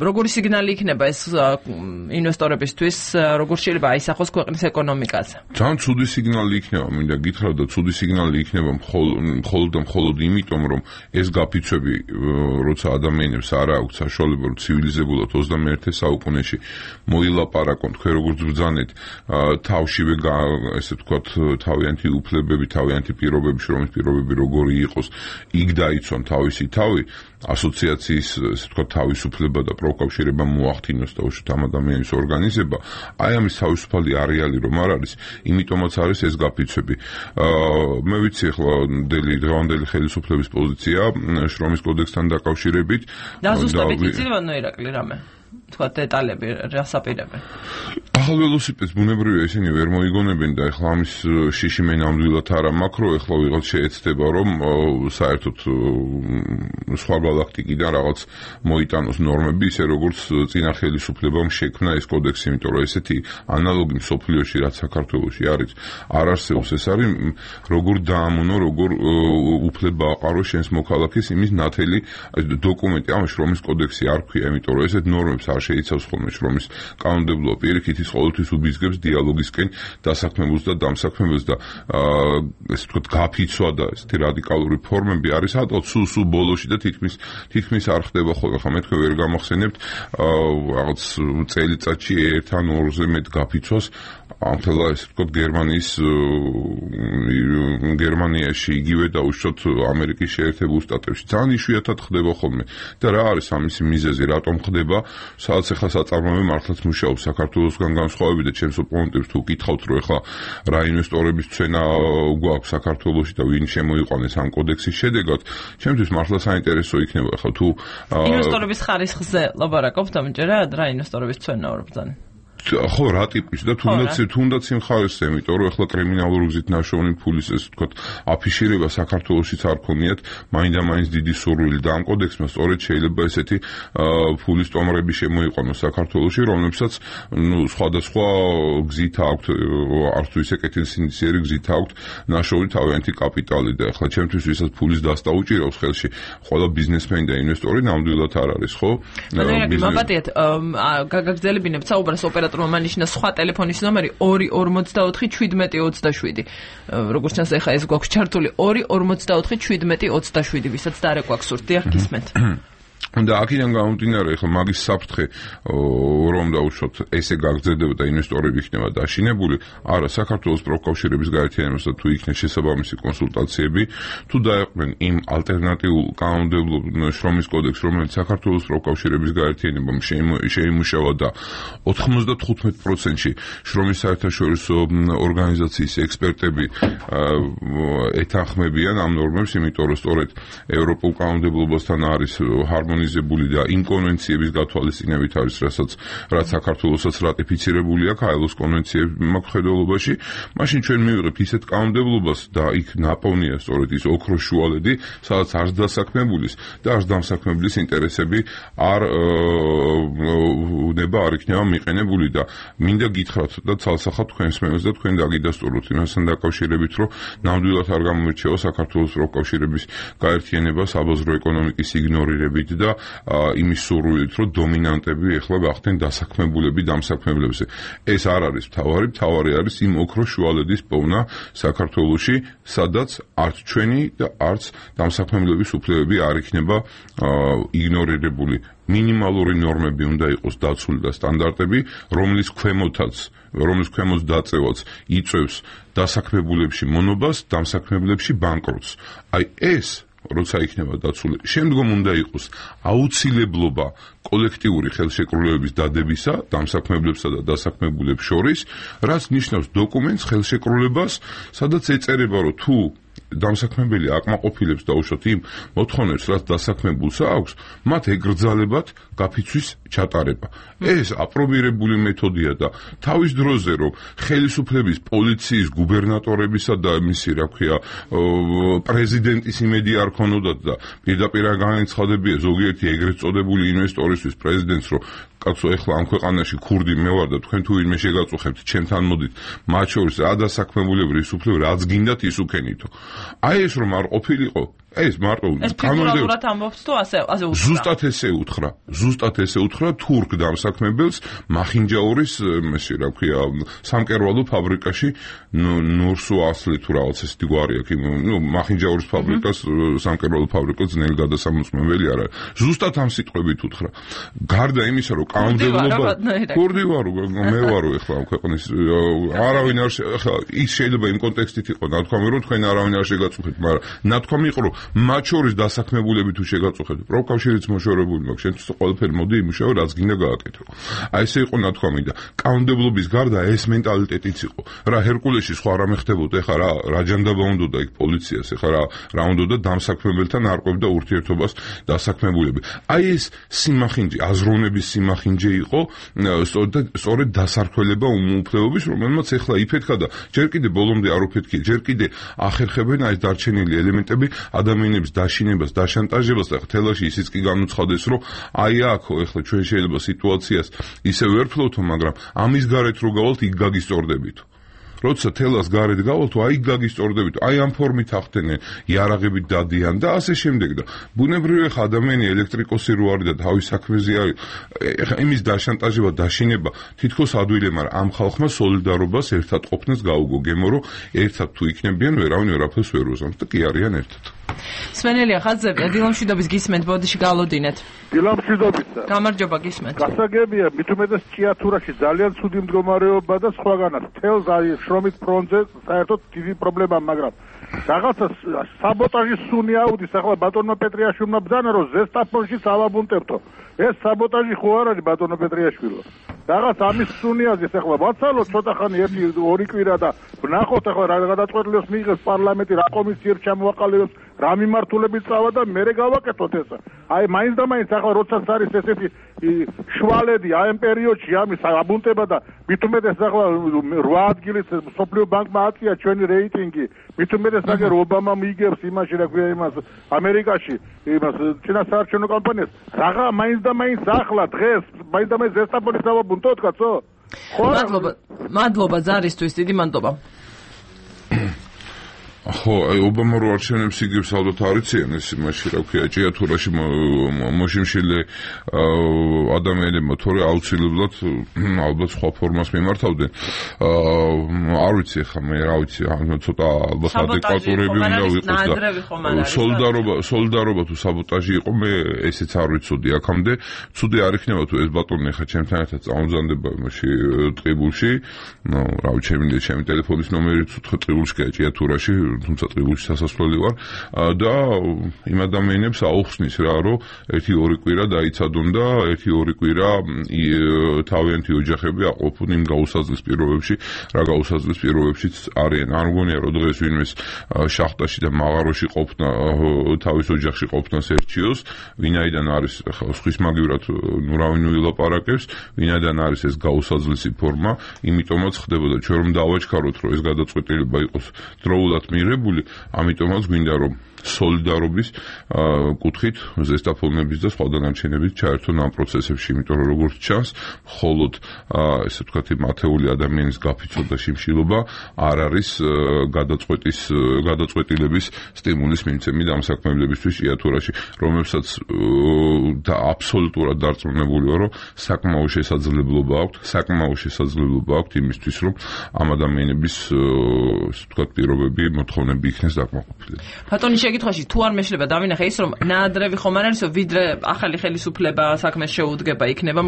როგორი სიგნალი იქნება ეს ინვესტორებისთვის, როგორ შეიძლება აისახოს ქვეყნის ეკონომიკაზე? ძალიან ცუდი სიგნალი იქნება, მინდა გითხრათ და ცუდი სიგნალი იქნება მხოლოდ იმიტომ, რომ ეს გაფიცვები, როცა ადამიანებს არ აქვს საშუალება, რომ ცივილიზებულად 21 საუკუნეში მოილაპარაკონ, თქვენ როგორც ბრძანეთ, თავშივე ესე ვთქვათ, თავიანთი უფლებები, თავიანთი პირობები, შრომის პირობები როგორი იყოს, იქ დაიცვან თავისი თავი, ასოციაციის, ესე ვთქვათ, თავისუფლება და პროკავშირება მოახდინოს და უშუალოდ ამ ადამიანის ორგანიზება, აი ამის თავისუფალი არეალი რომ არ არის, იმიტომაც არის ეს გაფიცვები. მე ვიცი ახლა დღევანდელი ხელისუფლების პოზიცია შრომის კოდექსთან დაკავშირებით. დაზუსტებით იცინო ირაკლი რამე? თქვა დეტალები რას აპირებენ? ახალ ველოსიპედს ბუნებრივია ისინი ვერ მოიგონებენ და ახლა ამის შიში მე ნამდვილად არა მაქრო, ახლა ვიღაც შეეცდება რომ საერთოდ სხვა galaktikიდან რაღაც მოიტანოს ნორმები, ისე როგორც წინა ხელისუფლებამ შექმნა ეს კოდექსი, იმიტომ რომ ესეთი ანალოგი მსოფლიოში რაც საქართველოში არის, არ არსებობს. ეს არის როგორ დაამონო, როგორ უფლება აყარო შენს მოქალაქეს იმის ნათელი დოკუმენტი, ამ შრომის კოდექსი არ ქვია, იმიტომ რომ ესეთ ნორმებს არ შეიცავს ხოლმე შრომის კანონმდებლობა, პირიქით ის ყოველთვის უბიძგებს დიალოგისკენ დასაქმებულს და დამსაქმებელს და ესე ვთქვათ გაფიცვა და ესეთი რადიკალური ფორმები არის ატოლ სულ ბოლოში და თითქმის არ ხდება ხოლმე. ხა მე თქვენ ვერ გამახსენებთ რაღაც წელიწადში 1 ან 2-ზე მეტ გაფიცვას ამთელა ესე ვთქვათ გერმანიაში იგივე და უშუალოდ ამერიკის შეერთებულ შტატებში ძალიან იშვიათად ხდება ხოლმე. და რა არის ამის მიზეზი, რატომ ხდება? სადაც ახლა საწარმოები მართლაც მუშაობს საქართველოსგან განსხვავებით და ჩემს ოპონენტებს თუ გითხავთ რომ ახლა რა ინვესტორების ცენა გვაქვს საქართველოში და ვინ შემოიყვანეს ამ კოდექსის შედეგად, ჩემთვის მართლა საინტერესო იქნება ახლა თუ ინვესტორების ხარისხზე ლაპარაკობთ ამჯერად, რა ინვესტორების ცენა ვარ ბრძანა? ხო, რა ტიპის და თუნდაც იმ ხარისზე, იმიტომ რომ ახლა კრიმინალური გზით ნაშოვნი ფულის ესე ვთქვათ აფიშირება საქართველოშიც არ ქონიათ, მაინდა-მაინც დიდი სურვილი და ამ კოდექსმა სწორედ შეიძლება ესეთი ფულის ტომრები შემოიყვანოს საქართველოში, რომლებსაც სხვადასხვა გზით აქვთ, არც თუ ისე კეთილსინდისიერი გზით აქვთ ნაშოვნი თავიანთი კაპიტალი და ახლა ჩემთვის ვისაც ფულის დასტა უჭირავს ხელში, ყველა ბიზნესმენი და ინვესტორი ნამდვილად არ არის, ხო? მოგატიეთ, გაგაგრძელებინებთ საუბარს ოპერატორმა მანიშნა სხვა ტელეფონის ნომერი 2541727. როგორც ჩანს ახლა ეს გვაქვს ჩართული 2541727, ვისაც დარეკვა გსურთ, დიახ გისმენთ. და აქედან გამომდინარე ახლა მაგის საფრთხე რომ დაუშვათ ესე გაგრძელდება და ინვესტორები იქნება დაშინებული, არა საქართველოს პროკავშირების გაერთიანებას და თუ იქნება შესაბამისი კონსულტაციები, თუ დაეყვნენ იმ ალტერნატიულ კანონმდებლობ შრომის კოდექსს, რომელიც საქართველოს პროკავშირების გაერთიანებამ შეიმუშავა და 95%-ში შრომის საერთაშორისო ორგანიზაციის ექსპერტები ეთანხმებიან ამ ნორმებს, იმიტომ რომ სწორედ ევროპულ კანონმდებლობასთან არის harmonizებული და იმ კონვენციების გათვალისწინებით არის, რაც საქართველოსაც რატიფიცირებული აქვს ILO-s კონვენციების მხედველობაში, მაშინ ჩვენ მივიღებთ ისეთ კანონმდებლობას და იქ ნაპოვნია სწორედ ის ოქროს შუალედი, სადაც არც დასაქმებულის და არც დამსაქმებლის ინტერესები არ იქნება მიყენებული და მინდა გითხრათ და ცალსახად თქვენს მენელს და თქვენ დაგიდასტუროთ იმასთან დაკავშირებით, რომ ნამდვილად არ გამომირჩევა საქართველოს პროკავშირების გაერთიანება საბაზრო ეკონომიკის იგნორირებით და იმის სურვილით, რომ დომინანტები ეხლა გახდნენ დასაქმებულები დამსაქმებლებზე. ეს არ არის მთავარი არის იმ ოქროს შუალედის პოვნა საქართველოში, სადაც არც ჩვენი და არც დამსაქმებლების უფლებები არ იქნება იგნორირებული. მინიმალური ნორმები უნდა იყოს დაცული და სტანდარტები, რომლის ქვემოც დაწევაც იწევს დასაქმებულებში მონობას, დამსაქმებლებში ბანკროტს. აი ეს როცა იქნება დაცული, შემდგომ უნდა იყოს აუცილებლობა კოლექტიური ხელშეკრულებების დადებისა დამსაქმებლებსა და დასაქმებულებს შორის, რაც ნიშნავს დოკუმენტს ხელშეკრულებას, სადაც ეწერება, რომ თუ დამსაქმებელი აკმაყოფილებს დაუშვათ იმ მოთხოვნებს, რაც დასაქმებულს აქვს, მათ ეგრძალებათ გაფიცვის ჩატარება. ეს აპრობირებული მეთოდია და თავის დროზე რომ ხელისუფლების, პოლიციის, გუბერნატორებისა და მისი, რა ქვია, პრეზიდენტის იმედი არ ქონოდათ და პირდაპირ განაცხადებია ზოგიერთი ეგრეთ წოდებული ინვესტორისთვის პრეზიდენტს, რომ კაცო, ეხლა ამ ქვეყანაში ქურდი მე ვარ და თქვენ თუ ვინმე შეგაწუხებთ, ჩემთან მოდით, მათ შორის რა დასაქმებულები ისუფლებ, რაც გინდათ ის უკენითო. აი ეს რომ არ ყოფილიყო, ეს მარტო კანონურად ამბობს თუ ასე უთხრა. ზუსტად ესე უთხრა თურქ დამსაქმებელს მახინჯაურის, ესე რა ქვია, სამკერვალო ფაბრიკაში ნურსუ ასლი თუ რაღაც ესეთი გვარი აქვს, მახინჯაურის ფაბრიკას, სამკერვალო ფაბრიკას ძნელი გადასამოწმებელი არ არის. ზუსტად ამ სიტყვებით უთხრა. გარდა იმისა, რომ კანონმდებლობა ქურდი ვარო, მე ვარო ეხლა ამ ქვეყნის არავინ არ ის შეიძლება იმ კონტექსტით იყო ნათქვამი, რომ თქვენ არავინ არ შეგაწუხეთ, მაგრამ ნათქვამი იყო, რომ მათ შორის დასაქმებულები თუ შეგაწუხებთ, პროფკავშირიც მოშორებული მაქვს, შენთვის ყველაფერი მოდი იმუშაო, რაც გინდა გააკეთო. აი ესე იყო ნათქვამი და კანონმდებლობის გარდა ეს მენტალიტეტიც იყო. რა ჰერკულესში სხვა რამე ხდებოდა, ეხლა რა ჯანდაბა უნდოდა იქ პოლიციას, ეხლა რა უნდოდა დამსაქმებელთან არკვევდა ურთიერთობას დასაქმებულები. აი ეს სიმახინჯე, აზროვნების სიმახინჯე იყო, სწორედ დასარქველება უმუფლებობის, რომელმაც ეხლა იფეთქა და ჯერ კიდე ბოლომდე არ უფეთქია, ჯერ კიდე ახერხებენ აი ეს დარჩენილი ელემენტები ადამიანების დაშინებას, დაშანტაჟებას და თელაში ისიც კი განუცხადეს, რომ აი აქ ეხლა ჩვენ შეიძლება სიტუაციას ისე ვერ ფლობთო, მაგრამ ამის გარეთ რო გავალთ, იქ გაგისწორდებითო. როცა თელას გარეთ გავალთ, აი გაგისწორდებით, აი ამ ფორმით ახდენენ, იარაღებით დადიან და ასე შემდეგ და ბუნებრივია ხა ადამიანი ელექტრიკოსი რო არის და თავის საქმეზე არის, იმის დაშანტაჟება, დაშინება თითქოს ადვილი, მაგრამ ამ ხალხმა სოლიდარობას ერთად ყოფნას გაუგო გემო, რომ ერთად თუ იქნებიან, ვერავინ ვერაფერს ვერ უზამს და კი არიან ერთად. სვენელია ხაზები, დილამშვიდობის გისმენთ, ბოდიში გალოდინეთ. დილამშვიდობისა. გამარჯობა გისმენთ. გასაგებია, მით უმეტეს ჭიათურაში ძალიან ცუდი მდგომარეობა და სხვაგანაც. თელს არის შრომის ფრონტზე საერთოდ დიდი პრობლემა, მაგრამ რაღაცა საბოტაჟის სუნი აუდის, ახლა ბატონო პეტრიაშვილმა ბრძანა, რომ ზესტაფონში ავაბუნტებთო. ეს საბოტაჟი ხო არ არის ბატონო პეტრიაშვილო. რაღაც ამის სუნიაზეს ახლა ვაცალოთ ცოტა ხანი 1-2 კვირა და ვნახოთ ახლა რა გადაწყვეტილებას მიიღებს პარლამენტი, რა კომისიებს ჩამოაყალიბებს, რა მიმართულებით წავა და მერე გავაკეთოთ ეს. აი მაინც და მაინც ახლა როდესაც არის ესეთი შვალედი აი ამ პერიოდში ამის აბუნტება და მით უმეტეს ახლა 8 ადგილის სოფლიო ბანკმა აწია ჩვენი რეიტინგი, მით უმეტეს აგერ ობამა მიიგებს იმაში რა ქვია იმას ამერიკაში იმას წინასაარჩევნო კამპანიას, რაღა მაინც და მაინც ახლა დღეს მაინც და მაინც ზესტაფონის დავაბუნტოთ კაცო. მადლობა ზარისთვის, დიდი მადლობა. ხო, აი ობამა რო არჩევნებს იგებს ალბათ არიციან ეს იმაში, რა ქვია, ჭიათურაში მოშიმშილე ადამიანებმა თორე აუცილებლად ალბათ სხვა ფორმას მიმართავდნენ. არ ვიცი ახლა მე რა ვიცი, ცოტა ალბათ ადეკვატურები უნდა ვიყოს და სოლიდარობა თუ საბოტაჟი იყო, მე ესეც არ ვიცოდი აქამდე. ცუდი არ იქნება თუ ეს ბატონი ახლა ჩემთან ერთად წამოძანდება იმაში ტყიბულში. რა ვიცი, ჩემი ტელეფონის ნომერიც ტყიბულშია ჭიათურაში, თუმცა ტყიბულში სასასვლელი ვარ და იმ ადამიანებს აუხსნის რა, რომ 1-2 კვირა დაიცადონ და 1-2 კვირა თავიანთი ოჯახები აყოფουν იმ გაუსაზღვის პირობებში, რა გაუსაზღვის პირობებშიც არიან. არ მგონია რომ დღეს ვინმეს შახტაში და მაღაროში ყოფნა, თავის ოჯახში ყოფნას ერჩიოს, ვინაიდან არის ახლა სხვის მაგივრად ნუ რავინ ვილაპარაკებს, ვინაიდან არის ეს გაუსაზღლისი ფორმა, იმიტომაც ხდებოდა ჩვენ რომ დავაჩქაროთ, რომ ეს გადაწყვეტილება იყოს დროულად მიღებული, ამიტომაც გვინდა რომ სოლიდარობის კუთხით ზესტაფონების და სხვა დანარჩენების ჩაერთონ ამ პროცესებში, იმიტომ რომ როგორც ჩანს, მხოლოდ ესე ვთქვათ, მათეული ადამიანის გაფიცვა და შიმშილობა არ არის გადაწყვეტილების სტიმულის მიმცემი დამსაქმებლებისთვის ჭიათურაში, რომელსაც და აბსოლუტურად დარწმუნებული ვარ, რომ საკმაო შესაძლებლობა აქვს იმისთვის, რომ ამ ადამიანების ესე ვთქვათ, პირობები, მოთხოვნები იქნეს დაკმაყოფილებული. ბატონი შეკითხვაში თუ არ მეშლება დავინახე ის რომ ნაადრევი ხომ არ არისო, ვიდრე ახალი ხელისუფლება საქმეს შეუდგება, იქნება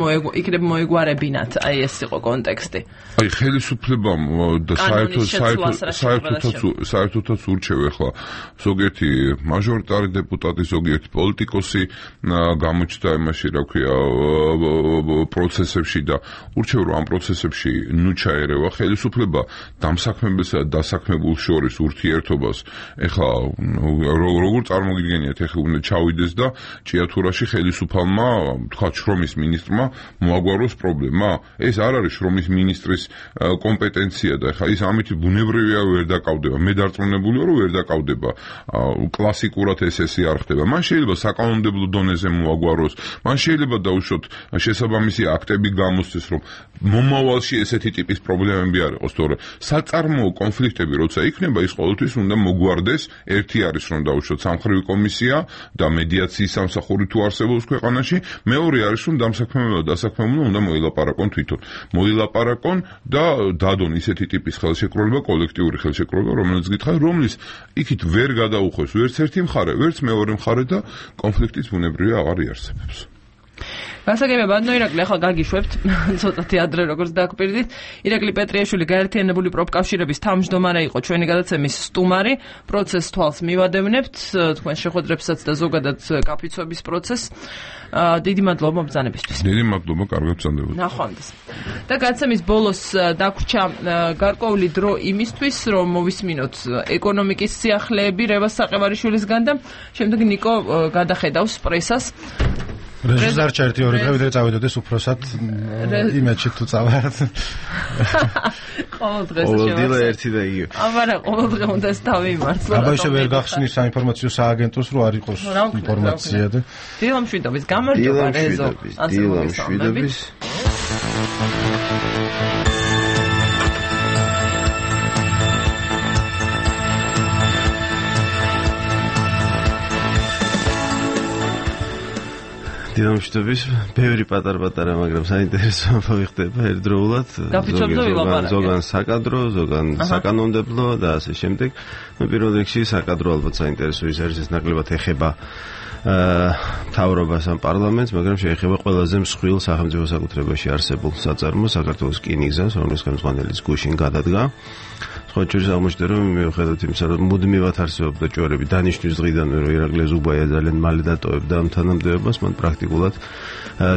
მოეგვარებინათ, აი ეს იყო კონტექსტი. აი ხელისუფლებამ და საერთოდაც ურჩევ ახლა ზოგიერთი მაჟორიტარი დეპუტატი, ზოგიერთი პოლიტიკოსი გამოჩნდა იმაში, რა ქვია, პროცესებში და ურჩევ რომ ამ პროცესებში ნუ ჩაერევა ხელისუფლება დამსაქმებელსა და დასაქმებულს შორის ურთიერთობას. ეხლა როგორ წარმოგიდგენიათ, ეხლა უნდა ჩავიდეს და ჭიათურაში ხელისუფალმა, თქვა შრომის მინისტრმა მოაგვაროს პრობლემა. ეს არ არის შრომის მინისტრის კომპეტენცია და ეხლა ის ამით ბუნებრივია ვერ დაკავდება. მე დარწმუნებული ვარ, რომ ვერ დაკავდება. კლასიკურად ესე არ ხდება. მან შეიძლება საკანონმდებლო დონეზე მოაგვაროს. მან შეიძლება დაუშვოთ შესაბამისი აქტები გამოსცეს, რომ მომავალში ესეთი ტიპის პრობლემები არ იყოს, თორე საწარმოო კონფლიქტები როცა იქნება, ის ყოველთვის უნდა მოგვარდეს. ერთი არის, რომ დაუშვოთ სამხრივი კომისია და მედიაციის სამსახური თუ არსებობს ქვეყანაში, მეორე არის, რომ დასაქმებულმა უნდა მოილაპარაკონ თვითონ. მოილაპარაკონ და დადონ ისეთი ტიპის ხელშეკრულება, კოლექტიური ხელშეკრულება, რომელიც გითხარ, რომლის იქით ვერ გადაუხვევს ვერც ერთი მხარე, ვერც მეორე მხარე და კონფლიქტის ბუნებრივია აღარ იარსებებს. გასაგებად, ირაკლი, ახლა გაგიშვებთ, ცოტათი ადრე როგორც დაგვპირდით. ირაკლი პეტრიაშვილი გაერთიანებული პროფკავშირების თავმჯდომარე იყო ჩვენი გადაცემის სტუმარი. პროცესს თვალს მივადევნებთ, თქვენ შეხვედრებსაც და ზოგადად კაფიცვების პროცესს. დიდი მადლობა მობრძანებისთვის. დიდი მადლობა, კარგად ბრძანდებოდი. ნახვამდის. და გადაცემის ბოლოს დაგვრჩა გარკვეული დრო იმისთვის, რომ მოვისმინოთ ეკონომიკის სიახლეები რევას საყევარიშვილისგან და შემდეგ ნიკო გადახედავს პრესას. რეჟისორ ერთი ორი დღე ვიდრე წავიდოდეს უფროსად იმედში თუ წავართ. ყოველ დღეს ყოველდღე ერთი და იგივე. აბარა ყოველ დღე უნდა დავიმართლო. აბა ისე ვერ გახსნის საინფორმაციო სააგენტოს რო არ იყოს ინფორმაცია და დილამშვიდობის გამარჯობა რეზო. დილამშვიდობის. დილამშვიდობის, ბევრი პატარ-პატარა, მაგრამ საინტერესო ამბავი ხდება ერთდროულად. ზოგან საკადრო, ზოგან საკანონმდებლო და ასე შემდეგ. პირველ რიგში საკადრო ალბათ საინტერესო ის არის, ეს ნაკლებად ეხება მთავრობას ამ პარლამენტს, მაგრამ შეეხება ყველაზე მსხვილ სახელმწიფო საკუთრებაში არსებულ საწარმოს, საქართველოს რკინიგზას, რომლის ხელმძღვანელის გუშინ გადადგა. სხვა შორის აღმოჩნდა, რომ მიუხედავად იმისა, რომ მუდმივად არსებობდა ჭორები დანიშნვის დღიდანვე, რომ ირაკლი ზუბაია ძალიან მალე დატოვებდა ამ თანამდებობას, მან პრაქტიკულად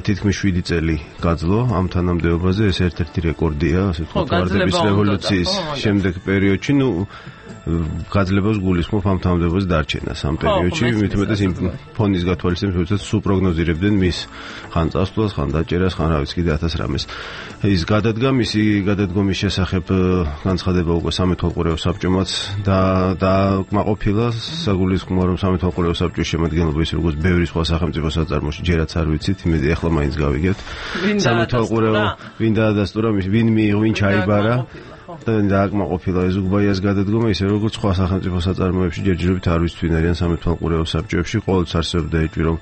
თითქმის 7 წელი გაძლო ამ თანამდებობაზე. ეს ერთ-ერთი რეკორდია, ასე ვთქვათ, ვარდების რევოლუციის შემდეგ პერიოდში. გაძლებას გულისხმობ ამ თანამდებობის დარჩენას ამ პერიოდში, მით უმეტეს იმ ფონის გათვალისწინებით, როდესაც სულ პროგნოზირებდნენ მის ხან წასვლას, ხან დაჭერას, ხან რა ვიცი კიდე 1000 რამეს. ის გადადგა, მისი გადადგომის შესახებ განცხადება უკვე სამეთვალყურეო საბჭომაც და კმაყოფილა საგულისხმოა, რომ სამეთვალყურეო საბჭოს შემადგენლობა ის როგორც ბევრი სხვა სახელმწიფო საწარმოში ჯერაც არ ვიცით, იმედი ახლა მაინც გავიგებთ. სამეთვალყურეო ვინ დაადასტურა, ვინ მიიღო, ვინ ჩაიბარა და დააკმაყოფილა ეს უგბაიას გადადგომა, ისე როგორც სხვა სახელმწიფო საწარმოებში ჯერჯერობით არ ვიცით ვინ არიან სამეთვალყურეო საბჭოებში. ყოველთვის არსებობდა ეჭვი, რომ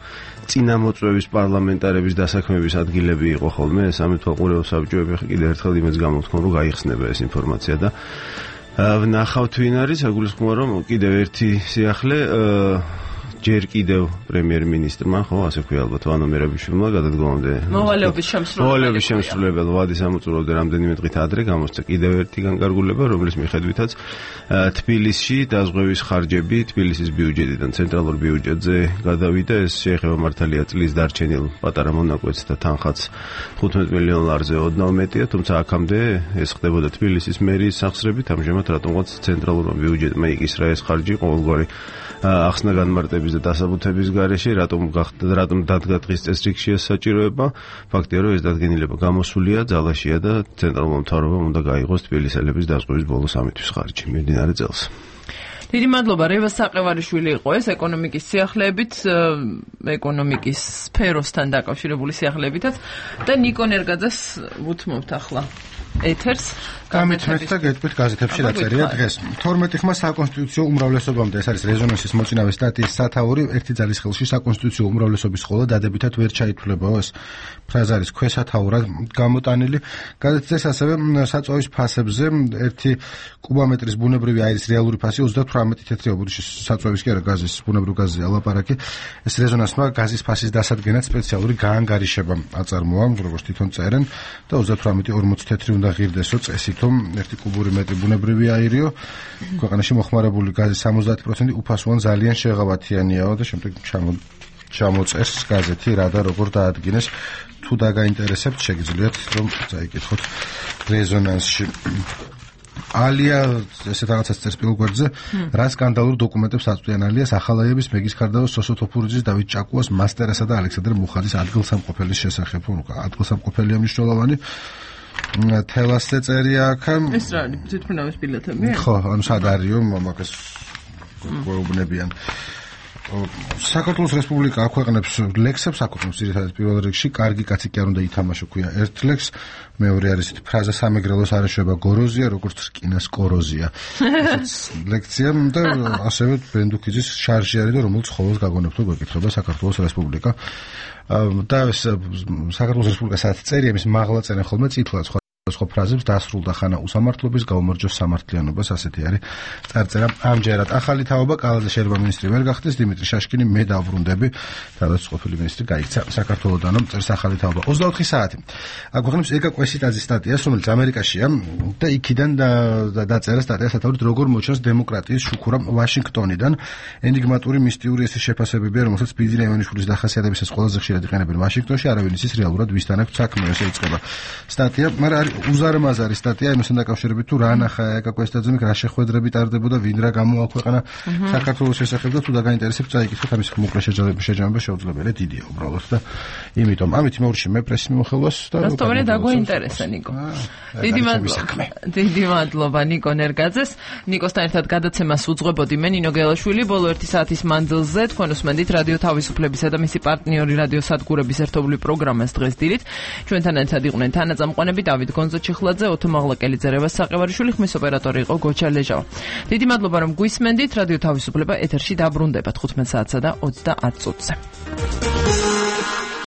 წინამოწვევის პარლამენტარების დასაქმების ადგილები იყო ხოლმე სამეთვალყურეო საბჭოები. კიდევ ერთხელ იმეც გამოვთქვამ, რომ გაიხსნება ეს ინფორმაცია და ვნახავთ ვინ არის. საგულისხმოა, რომ კიდევ ერთი სიახლე ჯერ კიდევ პრემიერ-მინისტრმა, ხო, ასე ქვია ალბათ, ვანო მერაბიშვილმა გადადგომამდე მოვალეობის შემსრულებელ ვადის ამოწურვამდე რამდენიმე დღით ადრე გამოსცა კიდევ ერთი განკარგულება, რომლის მიხედვითაც თბილისში დაზღვევის ხარჯები თბილისის ბიუჯეტიდან ცენტრალურ ბიუჯეტზე გადავიდა. ეს შეეხება მართალია წლის დარჩენილ პატარა მონაკვეთს და თანხაც 15 მილიონ ლარზე ოდნავ მეტია, თუმცა აქამდე ეს ხდებოდა თბილისის მერიის სახსრებით. ამჟამად რატომღაც ცენტრალურმა ბიუჯეტმა იკისრა ეს ხარჯი ყოველგვარი ახსნა განმარტების და დასაბუთების გარეშე, რატომ დადგა დღის წესრიგში ეს საჭიროება. ფაქტია, რომ ეს დადგენილება გამოსულია, ძალაშია და ცენტრალურმა მთავრობამ უნდა გაიღოს თბილისელების დაზღვევის ბოლო 3 თვის ხარჯი მიმდინარე წელს. დიდი მადლობა, რევას საყევარიშვილი იყო ეს ეკონომიკის სიახლეებით, ეკონომიკის სფეროსთან დაკავშირებული სიახლეებითაც და ნიკო ნერგაძეს ვუთმობთ ახლა ეთერს. გამეთმეთ და გეტყვით გაზეთებში რა წერია დღეს. 12 ხმა საკონსტიტუციო უმრავლესობამდე, ეს არის რეზონანსის მოწინავე სტატიის სათაური, ერთი ძალის ხელში საკონსტიტუციო უმრავლესობის ხოლო დადებითად ვერ ჩაითვლებაო. ეს ფრაზა არის ქვესათაურად გამოტანილი. გაზეთს ასევე საწვავის ფასებზე ერთი კუბომეტრის ბუნებრივი აირის რეალური ფასი 38 თეთრი ობუდიშის საწვავის კი არა გაზის ბუნებრივ გაზზე ალაპარაკი. ეს რეზონანსმა გაზის ფასის დასადგენად სპეციალური გაანგარიშება აწარმოა, როგორც თვითონ წერენ და 38-40 თეთრი უნდა ღირდესო წესით. ერთი კუბური მეტრი ბუნებრივი აირიო, ქვეყანაში მოხმარებული გაზის 70% უფასოვან ძალიან შეღავათიანიაო და შემდეგ ჩამოწეს გაზეთი რა და როგორ დაადგინეს. თუ დაგაინტერესებთ, შეგიძლიათ რომ წაიკითხოთ რეზონანსში. ალია ესეთ რაღაცას წერს პირველ გვერდზე, რა სკანდალურ დოკუმენტებს აწვდიან ალიას ახალაიების მეგის ქარდაოს სოსო თოფურიძის დავით ჭაკუას მასტერასა და ალექსანდრე მუხაძის ადგილსამყოფელის შესახებ. ადგილსამყოფელია მნიშვნელოვანი თელასზე წერია აქ. ეს რა არის? თვითმფრინავის ბილეთები? ხო, ანუ სად არისო მაგას გვეუბნებიან. საქართველოს რესპუბლიკა აქვეყნებს ლექსებს, აქვეყნებს ძირითადად პირველ რიგში, კარგი კაცი კი არ უნდა ითამაშო ქვია ერთ ლექსს, მეორე არის ფრაზა სამეგრელოს არ ეშვება გოროზია, როგორც რკინას კოროზია. ესეც ლექცია და ასევე ბენდუქიძის შარჟი არის და რომელიც ხოლოს გაგონებთ თუ გეკითხება საქართველოს რესპუბლიკა. და ეს საქართველოს რესპუბლიკა სადაც წერია, ის მაღლა წერენ ხოლმე წითლად სხვა ფრაზებს დასრულდა ხანა უსამართლობის გაუმარჯოს სამართლიანობას, ასეთი არის წარწერა. ამჯერად ახალი თაობა კალაზე შეიძლება მინისტრი ვერ გახდეს, დიმიტრი შაშკინი მე დავბრუნდები, სადაც ყოფილი მინისტრი გაიქცა საქართველოდანო წერს ახალი თაობა 24 საათი. აგვახსენებს ეკა კვესიტაძის სტატიას, რომელიც ამერიკაშია და იქიდან დაწერა სტატია სათავედ როგორ მოჩანს დემოკრატიის შუქურა ვაშინგტონიდან. ენიგმატური მისტიური ესის შეფასებებია, რომელსაც ბიძინა ივანიშვილის დახასიათებისას ყველაზე ხშირად იყენებენ ვაშინგტონში, არავინ იცის რეალურად ვისთან აქვს საქმე, ესე იწყება სტატია, მაგრამ უზარმაზარი სტატია იმასთან დაკავშირებით თუ რა ნახა ეკა კვესტაძემ რა შეხვედრები ტარდებოდა, ვინ რა გამოაქვეყნა საქართველოს შესახებ და თუ დაგაინტერესებს წაიკითხოთ ამის მოკლე შეჯამება შეუძლებელია დიდია უბრალოდ და იმიტომ ამით იმაურში მე პრესის მიმოხილვას და რასტოვანი დაგვაინტერესა ნიკო. დიდი მადლობა ნიკო ნერგაძეს. ნიკოსთან ერთად გადაცემას უძღვებოდი მე ნინო გელაშვილი. ბოლო 1 საათის მანძილზე თქვენ უსმენდით რადიო თავისუფლებისა და მისი პარტნიორი რადიო სადგურების ერთობლივ პროგრამას დღეს დილით. ჩვენთან ერთად იყვნენ თანაწამყვანები დავით გონძოჩიხლაძე, ოთო მაღლაკელი, ზერევას საყევარიშვილი, ხმის ოპერატორი იყო გოჩა ლეჟავა. დიდი მადლობა რომ გვისმენდით. რადიო თავისუფლება ეთერში დაბრუნდება 15 საათსა და 30 წუთზე.